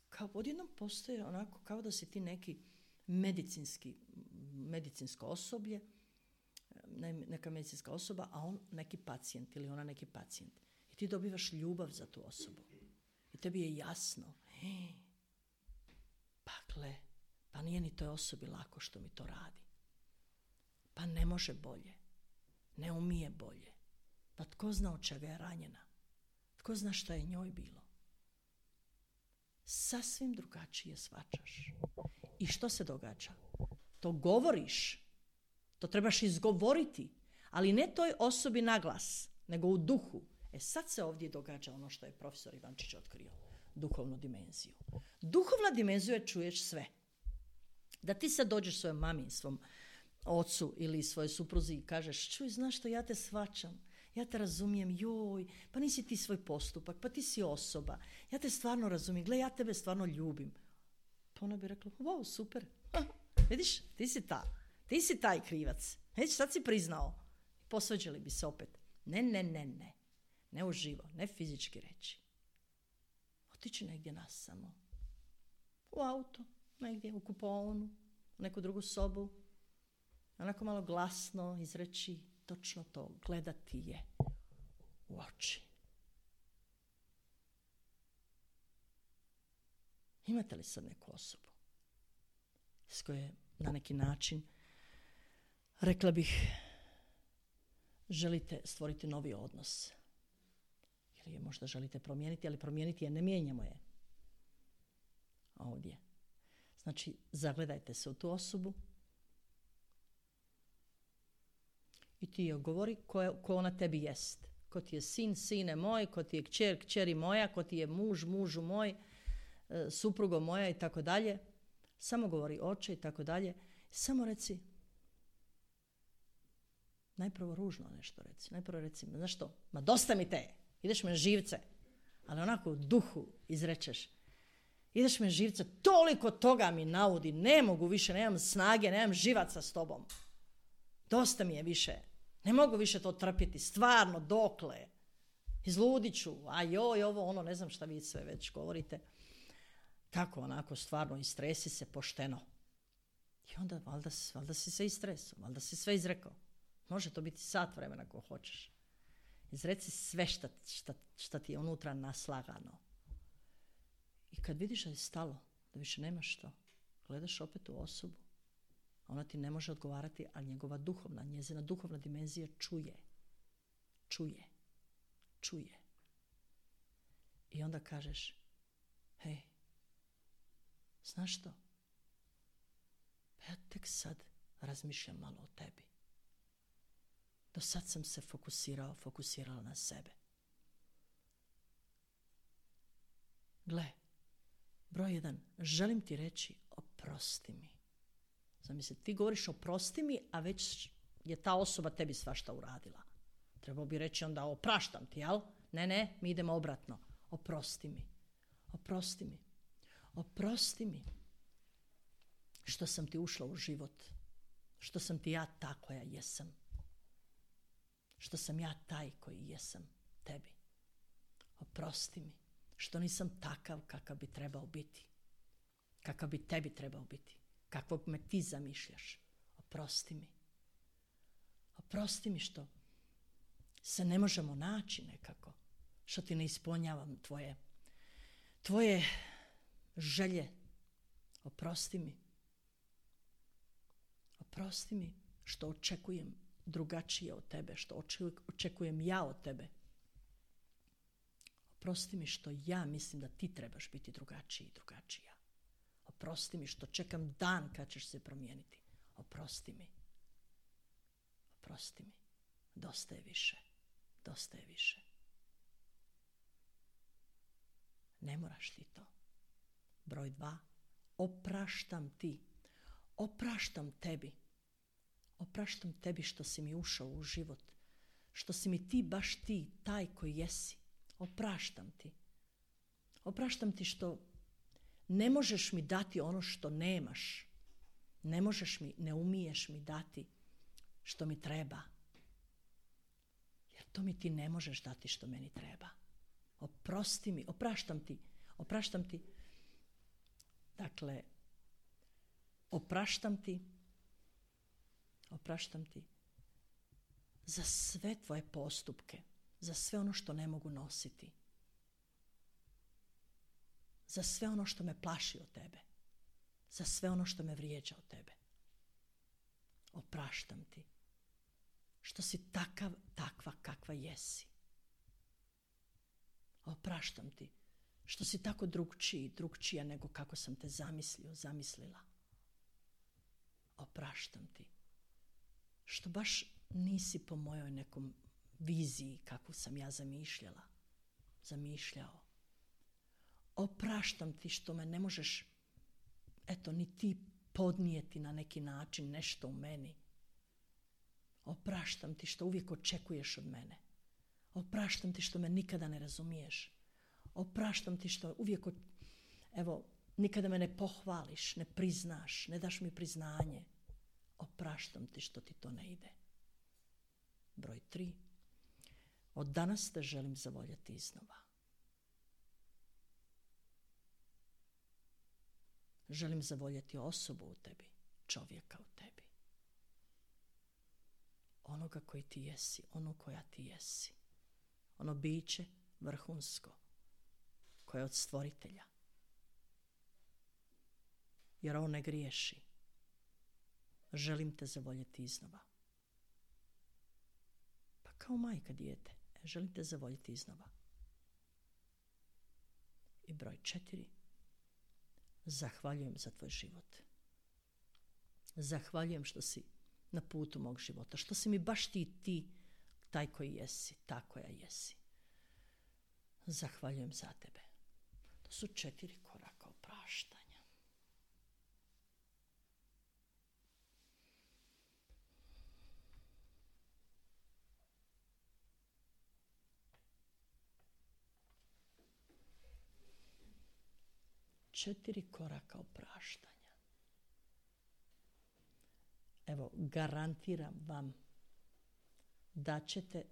Kao odjednom postoje onako kao da si ti neki medicinski, medicinsko osoblje, neka medicinska osoba, a on neki pacijent ili ona neki pacijent. I ti dobivaš ljubav za tu osobu. I tebi je jasno. Pa gle, pa nije ni toj osobi lako što mi to radi. Pa ne može bolje. Ne umije bolje. Pa tko zna od čega je ranjena? Tko zna šta je njoj bilo? Sasvim drugačije shvaćaš. I što se događa? To govoriš. To trebaš izgovoriti. Ali ne toj osobi na glas, nego u duhu. E sad se ovdje događa ono što je profesor Ivančić otkrio. Duhovnu dimenziju. Duhovna dimenzija čuješ sve. Da ti sad dođeš svojoj mami, svom ocu ili svojoj supruzi i kažeš, čuj, znaš što, ja te shvaćam, ja te razumijem, joj, pa nisi ti svoj postupak, pa ti si osoba, ja te stvarno razumijem, gle, ja tebe stvarno ljubim. Pa ona bi rekla, wow, super, vidiš, ti si ta, ti si taj krivac, već sad si priznao. Posvađali bi se opet. Ne, ne, ne, ne, ne uživo, ne fizički reći. Otići negdje nas samo, u auto, negdje u kupaonu, u neku drugu sobu, onako malo glasno izreći točno to, gledati je u oči Imate li sad neku osobu s koje na neki način, rekla bih, želite stvoriti novi odnos? Ili je možda želite promijeniti, ali promijeniti je, ne mijenjamo je. Ovdje. Znači, zagledajte se u tu osobu i ti joj govori ko, ko ona tebi jest. Ko ti je sin, sine moj, ko ti je kćer, kćeri moja, ko ti je muž, mužu moj, suprugo moja i tako dalje. Samo govori oče i tako dalje. Samo reci, najprvo ružno nešto reci. Najprvo reci, znaš što, ma dosta mi te, ideš me živce. Ali onako u duhu izrečeš, ideš me živce, toliko toga mi naudi, ne mogu više, nemam snage, nemam živaca s tobom. Dosta mi je više, ne mogu više to trpjeti, stvarno, dokle, izludit ću, a joj, ovo, ono, ne znam šta vi sve već govorite. Kako onako stvarno istresi se pošteno. I onda valjda, valjda si se istresao, valjda si sve izrekao. Može to biti sat vremena ako hoćeš. Izreci sve šta, šta, šta ti je unutra naslagano. I kad vidiš da je stalo, da više nemaš što, gledaš opet u osobu, ona ti ne može odgovarati, a njegova duhovna, njezina duhovna dimenzija čuje. Čuje. Čuje. I onda kažeš, hej, znaš što? Ja tek sad razmišljam malo o tebi. Do sad sam se fokusirao, fokusirala na sebe. Gle, broj jedan, želim ti reći oprosti mi. Zamisli, ti govoriš oprosti mi, a već je ta osoba tebi svašta uradila. Trebao bi reći onda opraštam ti, jel? Ne, ne, mi idemo obratno. Oprosti mi. Oprosti mi. Oprosti mi što sam ti ušla u život. Što sam ti ja ta koja jesam. Što sam ja taj koji jesam tebi. Oprosti mi što nisam takav kakav bi trebao biti. Kakav bi tebi trebao biti. Kakvog me ti zamišljaš. Oprosti mi. Oprosti mi što se ne možemo naći nekako. Što ti ne ispunjavam tvoje, tvoje želje. Oprosti mi. Oprosti mi što očekujem drugačije od tebe, što očekujem ja od tebe. Oprosti mi što ja mislim da ti trebaš biti drugačiji i drugačija. Oprosti mi što čekam dan kad ćeš se promijeniti. Oprosti mi. Oprosti mi. Dosta je više. Dosta je više. Ne moraš ti to. Broj dva. Opraštam ti. Opraštam tebi. Opraštam tebi što si mi ušao u život. Što si mi ti, baš ti, taj koji jesi. Opraštam ti. Opraštam ti što ne možeš mi dati ono što nemaš. Ne možeš mi, ne umiješ mi dati što mi treba. Jer to mi ti ne možeš dati što meni treba. Oprosti mi, opraštam ti. Opraštam ti. Dakle, opraštam ti. Opraštam ti za sve tvoje postupke, za sve ono što ne mogu nositi, za sve ono što me plaši od tebe, za sve ono što me vrijeđa od tebe. Opraštam ti što si takav, takva kakva jesi. Opraštam ti što si tako drugčiji, drugčija nego kako sam te zamislio, zamislila. Opraštam ti što baš nisi po mojoj nekom viziji kakvu sam ja zamišljala, zamišljao. Opraštam ti što me ne možeš, eto, ni ti podnijeti na neki način nešto u meni. Opraštam ti što uvijek očekuješ od mene. Opraštam ti što me nikada ne razumiješ. Opraštam ti što uvijek, evo, nikada me ne pohvališ, ne priznaš, ne daš mi priznanje. Opraštam ti što ti to ne ide. Broj tri. Od danas te želim zavoljeti iznova. Želim zavoljeti osobu u tebi, čovjeka u tebi. Onoga koji ti jesi, ono koja ti jesi. Ono biće vrhunsko, koje je od stvoritelja. jer on ne griješi. Želim te zavoljeti iznova. Pa kao majka dijete, e, želim te zavoljeti iznova. I broj četiri. Zahvaljujem za tvoj život. Zahvaljujem što si na putu mog života, što si mi baš ti, ti, taj koji jesi, ta koja jesi. Zahvaljujem za tebe. To su četiri koraka opraštanja. Četiri koraka opraštanja. Evo, garantiram vam da ćete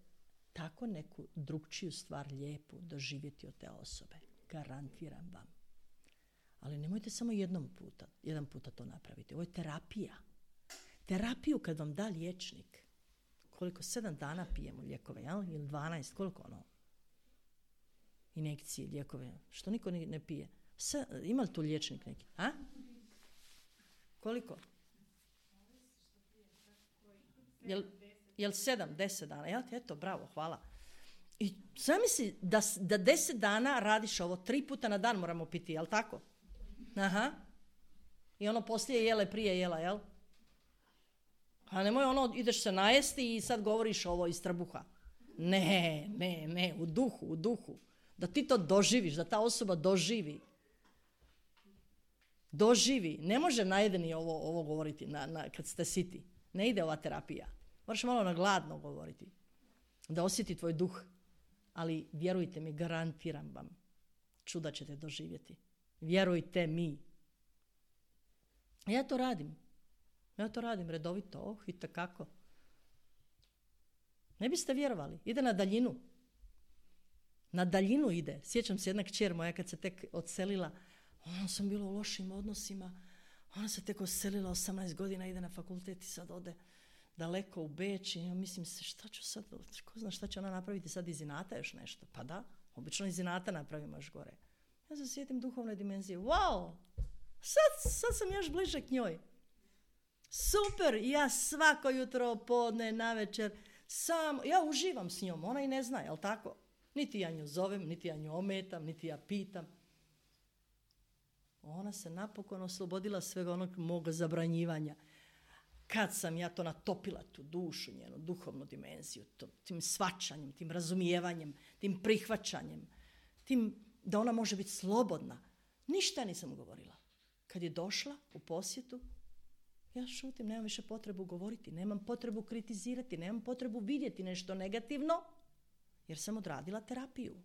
tako neku drugčiju stvar lijepu doživjeti od te osobe. Garantiram vam. Ali nemojte samo jednom puta, jedan puta to napraviti. Ovo je terapija. Terapiju kad vam da liječnik. Koliko? Sedam dana pijemo lijekove, jel? Ili dvanaest, koliko ono? Injekcije, lijekove. Što niko ne pije? Sve, ima li tu liječnik neki? A? Koliko? Jel, jel sedam, deset dana? Jel ti? Eto, bravo, hvala. I zamisli da, da deset dana radiš ovo, tri puta na dan moramo piti, jel tako? Aha. I ono poslije jele, prije jela, jel? A nemoj ono, ideš se najesti i sad govoriš ovo iz trbuha. Ne, ne, ne, u duhu, u duhu. Da ti to doživiš, da ta osoba doživi. Doživi. Ne može najedeni ovo, ovo govoriti na, na, kad ste siti. Ne ide ova terapija. Moraš malo na gladno govoriti. Da osjeti tvoj duh. Ali vjerujte mi, garantiram vam, čuda ćete doživjeti. Vjerujte mi. Ja to radim. Ja to radim redovito. Oh, i takako. Ne biste vjerovali. Ide na daljinu. Na daljinu ide. Sjećam se jedna kćer moja kad se tek odselila. Ona sam bila u lošim odnosima. Ona se tek odselila, osamnaest godina, ide na fakultet i sad ode daleko u Beč i ja mislim se šta ću sad, ko zna šta će ona napraviti sad iz inata još nešto. Pa da, obično iz inata napravimo još gore. Ja se sjetim duhovne dimenzije. Wow, sad, sad sam još bliže k njoj. Super, ja svako jutro, podne, navečer, sam, ja uživam s njom, ona i ne zna, jel tako? Niti ja nju zovem, niti ja nju ometam, niti ja pitam. Ona se napokon oslobodila svega onog mog zabranjivanja. Kad sam ja to natopila, tu dušu, njenu duhovnu dimenziju, to, tim shvaćanjem, tim razumijevanjem, tim prihvaćanjem, tim da ona može biti slobodna. Ništa nisam govorila. Kad je došla u posjetu, ja šutim, nemam više potrebu govoriti, nemam potrebu kritizirati, nemam potrebu vidjeti nešto negativno, jer sam odradila terapiju.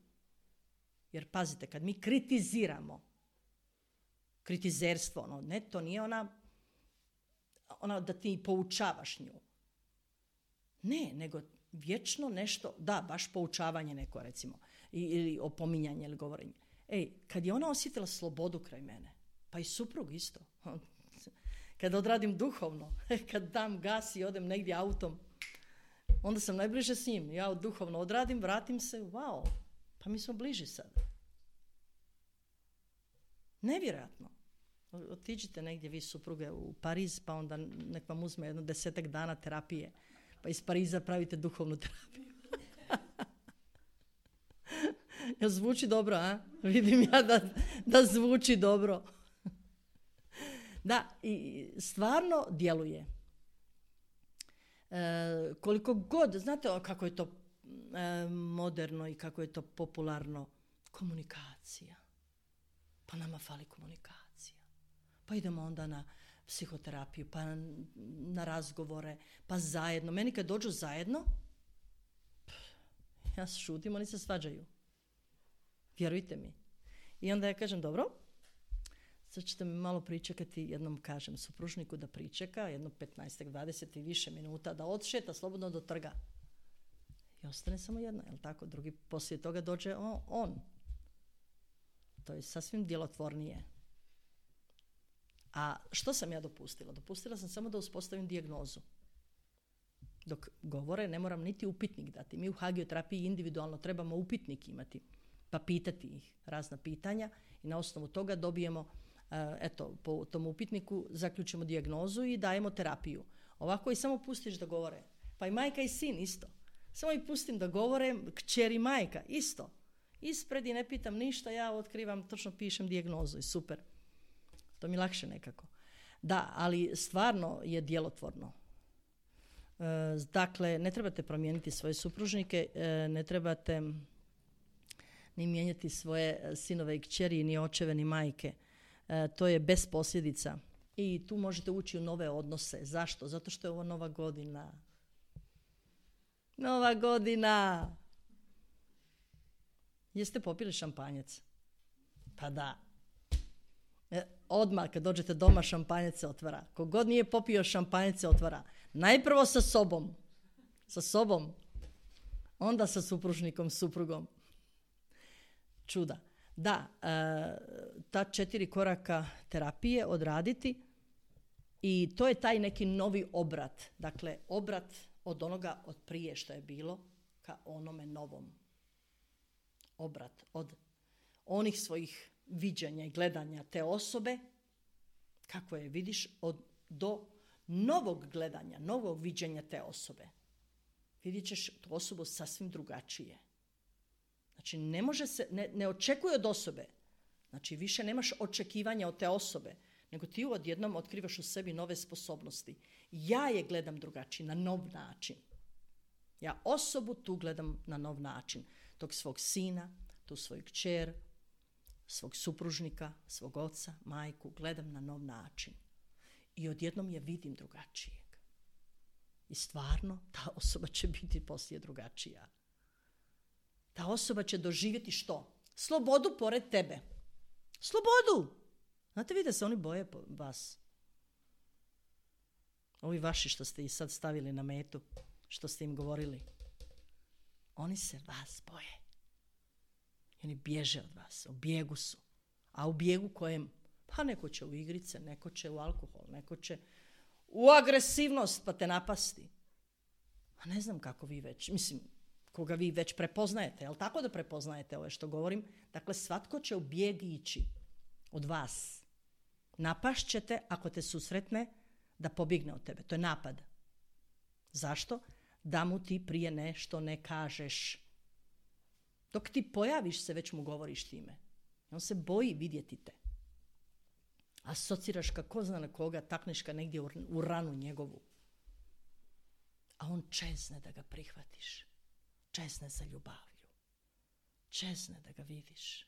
Jer pazite, kad mi kritiziramo, kritizerstvo, ono, ne, to nije ona, ona da ti poučavaš nju. Ne, nego vječno nešto, da, baš poučavanje neko, recimo, ili opominjanje ili govorenje. Ej, kad je ona osjetila slobodu kraj mene, pa i suprug isto, kad odradim duhovno, kad dam gas i odem negdje autom, onda sam najbliže s njim. Ja duhovno odradim, vratim se, wow, pa mi smo bliži sad. Nevjerojatno. Otiđite negdje vi supruge u Pariz, pa onda nek vam uzme jedno desetak dana terapije, pa iz Pariza pravite duhovnu terapiju. Jel zvuči dobro, a? Vidim ja da, da zvuči dobro. Da, i stvarno djeluje. E, koliko god, znate kako je to e, moderno i kako je to popularno, komunikacija. Pa nama fali komunikacija. Pa idemo onda na psihoterapiju, pa na, na razgovore, pa zajedno. Meni kad dođu zajedno, ja šutim, oni se svađaju. Vjerujte mi. I onda ja kažem, dobro, sad ćete mi malo pričekati, jednom kažem supružniku da pričeka, jedno petnaest, dvadeset i više minuta, da odšeta slobodno do trga. I ostane samo jedna, jel tako? Drugi poslije toga dođe on. on. To je sasvim djelotvornije. A što sam ja dopustila? Dopustila sam samo da uspostavim dijagnozu. Dok govore, ne moram niti upitnik dati. Mi u hagioterapiji individualno trebamo upitnik imati, pa pitati ih razna pitanja i na osnovu toga dobijemo eto, po tom upitniku zaključimo dijagnozu i dajemo terapiju. Ovako i samo pustiš da govore. Pa i majka i sin isto. Samo ih pustim da govore, kćer i majka isto. Ispred i ne pitam ništa, ja otkrivam, točno pišem dijagnozu i super. To mi lakše nekako. Da, ali stvarno je djelotvorno. E, dakle, ne trebate promijeniti svoje supružnike, e, ne trebate ni mijenjati svoje sinove i kćeri, ni očeve, ni majke. E, to je bez posljedica. I tu možete ući u nove odnose. Zašto? Zato što je ovo nova godina. Nova godina! Jeste popili šampanjec? Pa da. E, odmah kad dođete doma šampanjec se otvara. Kogod nije popio šampanjec se otvara. Najprvo sa sobom. Sa sobom. Onda sa supružnikom, suprugom. Čuda. Da, e, ta četiri koraka terapije odraditi i to je taj neki novi obrat. Dakle, obrat od onoga od prije što je bilo ka onome novom. Obrat od onih svojih viđenja i gledanja te osobe, kako je vidiš, od, do novog gledanja, novog viđenja te osobe. Vidjet ćeš tu osobu sasvim drugačije. Znači, ne može se, ne, ne očekuje od osobe. Znači, više nemaš očekivanja od te osobe, nego ti odjednom otkrivaš u sebi nove sposobnosti. Ja je gledam drugačije, na nov način. Ja osobu tu gledam na nov način. Tog svog sina, tu svoju kćer, svog supružnika, svog oca, majku, gledam na nov način. I odjednom je vidim drugačijeg. I stvarno, ta osoba će biti poslije drugačija. Ta osoba će doživjeti što? Slobodu pored tebe. Slobodu! Znate vi da se oni boje vas? Ovi vaši što ste ih sad stavili na metu, što ste im govorili. Oni se vas boje. I oni bježe od vas, u bijegu su. A u bijegu kojem? Pa neko će u igrice, neko će u alkohol, neko će u agresivnost pa te napasti. A ne znam kako vi već, mislim, koga vi već prepoznajete, jel tako da prepoznajete ove što govorim? Dakle, svatko će u bijeg ići od vas. Napašt ćete ako te susretne da pobjegne od tebe. To je napad. Zašto? Da mu ti prije nešto ne kažeš. Dok ti pojaviš se, već mu govoriš time. On se boji vidjeti te. Asociraš kako zna na koga, takneš ga negdje u ranu njegovu. A on čezne da ga prihvatiš. Čezne za ljubavlju. Čezne da ga vidiš.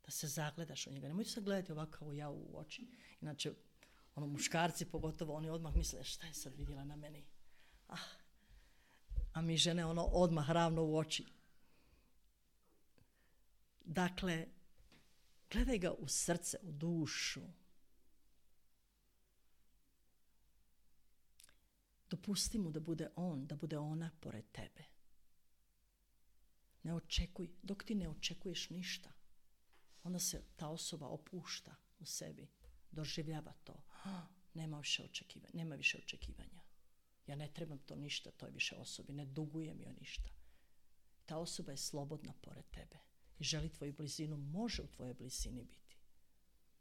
Da se zagledaš u njega. Nemoj se gledati ovako ja u oči. Inače, ono, muškarci pogotovo, oni odmah misle šta je sad vidjela na meni. Ah. A mi žene ono odmah ravno u oči. Dakle, gledaj ga u srce, u dušu. Dopusti mu da bude on, da bude ona pored tebe. Ne očekuj, dok ti ne očekuješ ništa, onda se ta osoba opušta u sebi, doživljava to. Ah, nema više očekivanja, nema više očekivanja. Ja ne trebam to ništa toj više osobi, ne dugujem joj ništa. Ta osoba je slobodna pored tebe i želi tvoju blizinu, može u tvojoj blizini biti.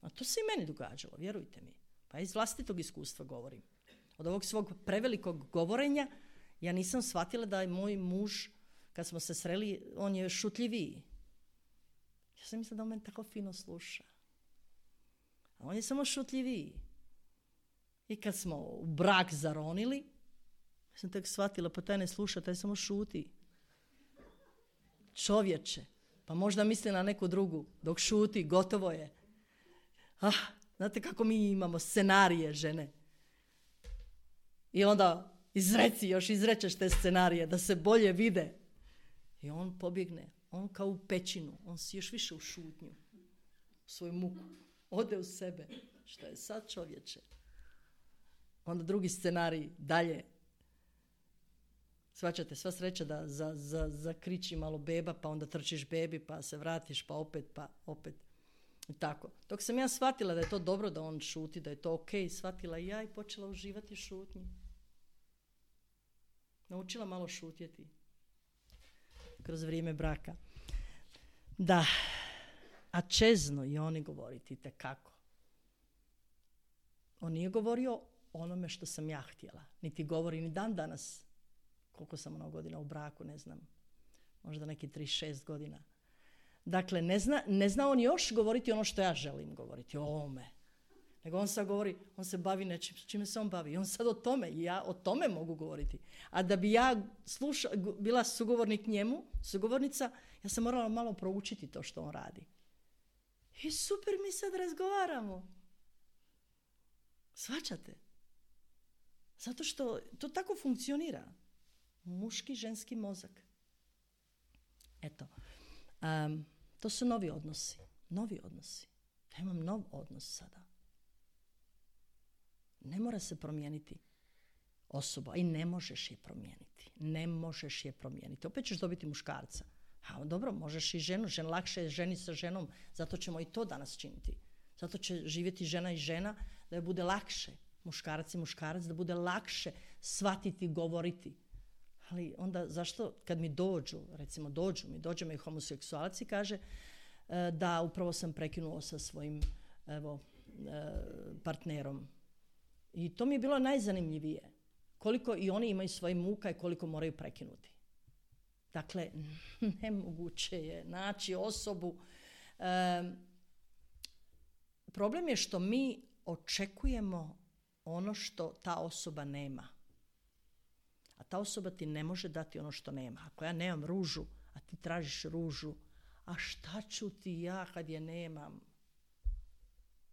A to se i meni događalo, vjerujte mi. Pa iz vlastitog iskustva govorim. Od ovog svog prevelikog govorenja ja nisam shvatila da je moj muž, kad smo se sreli, on je šutljiviji. Ja sam mislila da on meni tako fino sluša. A on je samo šutljiviji. I kad smo u brak zaronili, ja sam tek shvatila, pa taj ne sluša, taj samo šuti. Čovječe, pa možda misli na neku drugu, dok šuti, gotovo je. Ah, znate kako mi imamo scenarije, žene. I onda izreci, još izrečeš te scenarije, da se bolje vide. I on pobjegne, on kao u pećinu, on si još više u šutnju, u svoju muku, ode u sebe. Što je sad, čovječe? Onda drugi scenarij, dalje. Svačate, sva sreća da za, za, zakriči malo beba, pa onda trčiš bebi, pa se vratiš, pa opet, pa opet. I tako. Dok sam ja shvatila da je to dobro da on šuti, da je to ok, shvatila i ja i počela uživati šutnji. Naučila malo šutjeti kroz vrijeme braka. Da, a čezno i oni govoriti tekako. On nije govorio onome što sam ja htjela. Niti govori ni dan danas. Koliko sam ono godina u braku, ne znam. Možda neki trideset šest godina. Dakle, ne zna, ne zna on još govoriti ono što ja želim govoriti, o ovome. Nego on sad govori, on se bavi nečim, čime se on bavi. I on sad o tome, i ja o tome mogu govoriti. A da bi ja sluša, bila sugovornik njemu, sugovornica, ja sam morala malo proučiti to što on radi. I super, mi sad razgovaramo. Shvaćate? Zato što to tako funkcionira. Muški, ženski mozak. Eto. Um, to su novi odnosi. Novi odnosi. Ja imam nov odnos sada. Ne mora se promijeniti osoba i ne možeš je promijeniti. Ne možeš je promijeniti. Opet ćeš dobiti muškarca. A dobro, možeš i ženu. Žen, lakše je ženi sa ženom. Zato ćemo i to danas činiti. Zato će živjeti žena i žena da je bude lakše. Muškarac i muškarac da bude lakše shvatiti, govoriti. Ali onda zašto kad mi dođu, recimo dođu mi, dođe mi homoseksualac i kaže da upravo sam prekinuo sa svojim evo, partnerom. I to mi je bilo najzanimljivije. Koliko i oni imaju svoje muka i koliko moraju prekinuti. Dakle, nemoguće je naći osobu. E, problem je što mi očekujemo ono što ta osoba nema. A ta osoba ti ne može dati ono što nema. Ako ja nemam ružu, a ti tražiš ružu, a šta ću ti ja kad je nemam?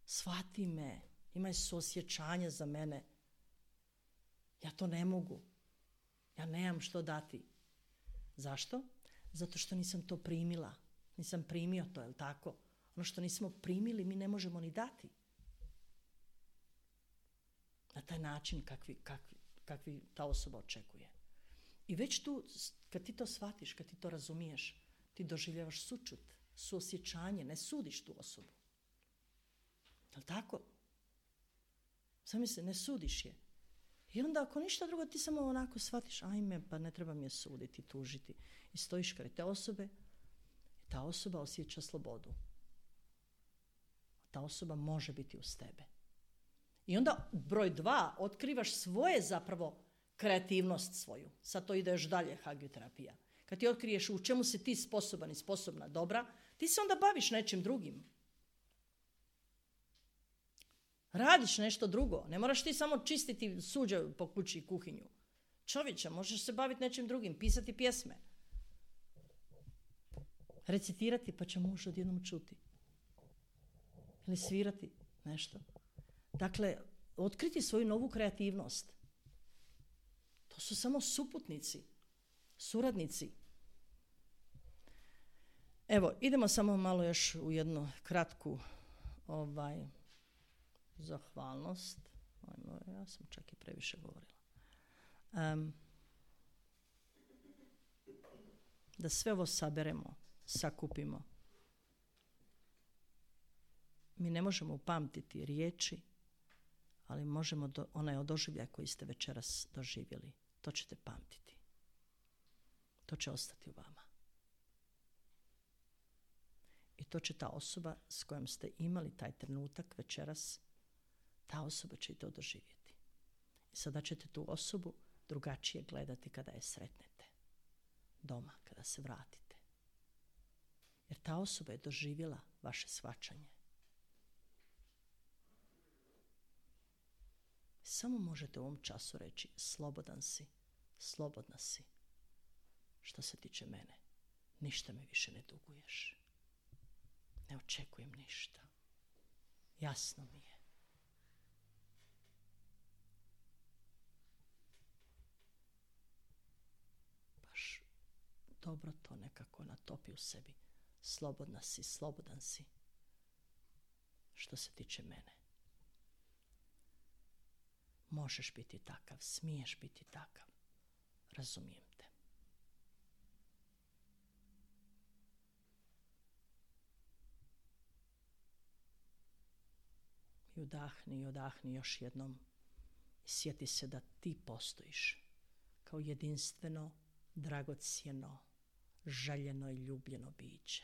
Shvati me, imaj suosjećanje za mene. Ja to ne mogu. Ja nemam što dati. Zašto? Zato što nisam to primila. Nisam primio to, je li tako? Ono što nismo primili, mi ne možemo ni dati. Na taj način kakvi, kakvi, kakvi ta osoba očekuje. I već tu, kad ti to shvatiš, kad ti to razumiješ, ti doživljavaš sućut, suosjećanje, ne sudiš tu osobu. Je li tako? Sam se, ne sudiš je. I onda ako ništa drugo, ti samo onako shvatiš, ajme, pa ne treba mi je suditi, tužiti. I stojiš kraj te osobe, i ta osoba osjeća slobodu. Ta osoba može biti uz tebe. I onda broj dva, otkrivaš svoje zapravo kreativnost svoju. Sad to ide još dalje, hagioterapija. Kad ti otkriješ u čemu si ti sposoban i sposobna, dobra, ti se onda baviš nečim drugim. Radiš nešto drugo. Ne moraš ti samo čistiti suđe po kući i kuhinju. Čovječe, možeš se baviti nečim drugim, pisati pjesme. Recitirati, pa će muž odjednom čuti. Ili svirati nešto. Dakle, otkriti svoju novu kreativnost. To su samo suputnici, suradnici. Evo, idemo samo malo još u jednu kratku ovaj, zahvalnost. Ajmo, ja sam čak i previše govorila. Um, da sve ovo saberemo, sakupimo. Mi ne možemo upamtiti riječi, ali možemo do, onaj doživljaj koji ste večeras doživjeli, to ćete pamtiti. To će ostati u vama. I to će ta osoba s kojom ste imali taj trenutak večeras, ta osoba će i to doživjeti. I sada ćete tu osobu drugačije gledati kada je sretnete. Doma, kada se vratite. Jer ta osoba je doživjela vaše shvaćanje. Samo možete u ovom času reći slobodan si, slobodna si. Što se tiče mene, ništa mi više ne duguješ. Ne očekujem ništa. Jasno mi je. Baš dobro to nekako natopi u sebi. Slobodna si, slobodan si. Što se tiče mene. Možeš biti takav, smiješ biti takav. Razumijem te. I udahni i odahni još jednom. I sjeti se da ti postojiš kao jedinstveno, dragocjeno, željeno i ljubljeno biće.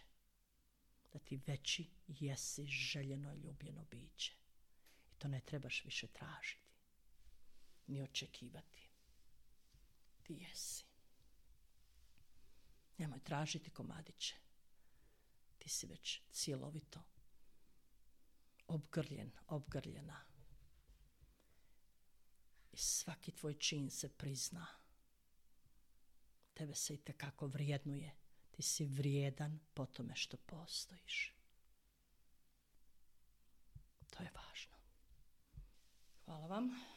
Da ti veći jesi željeno i ljubljeno biće. I To ne trebaš više tražiti, ni očekivati. Ti jesi. Nemoj tražiti komadiće. Ti si već cjelovito obgrljen, obgrljena. I svaki tvoj čin se prizna. Tebe se itekako vrijednuje. Ti si vrijedan po tome što postojiš. To je važno. Hvala vam.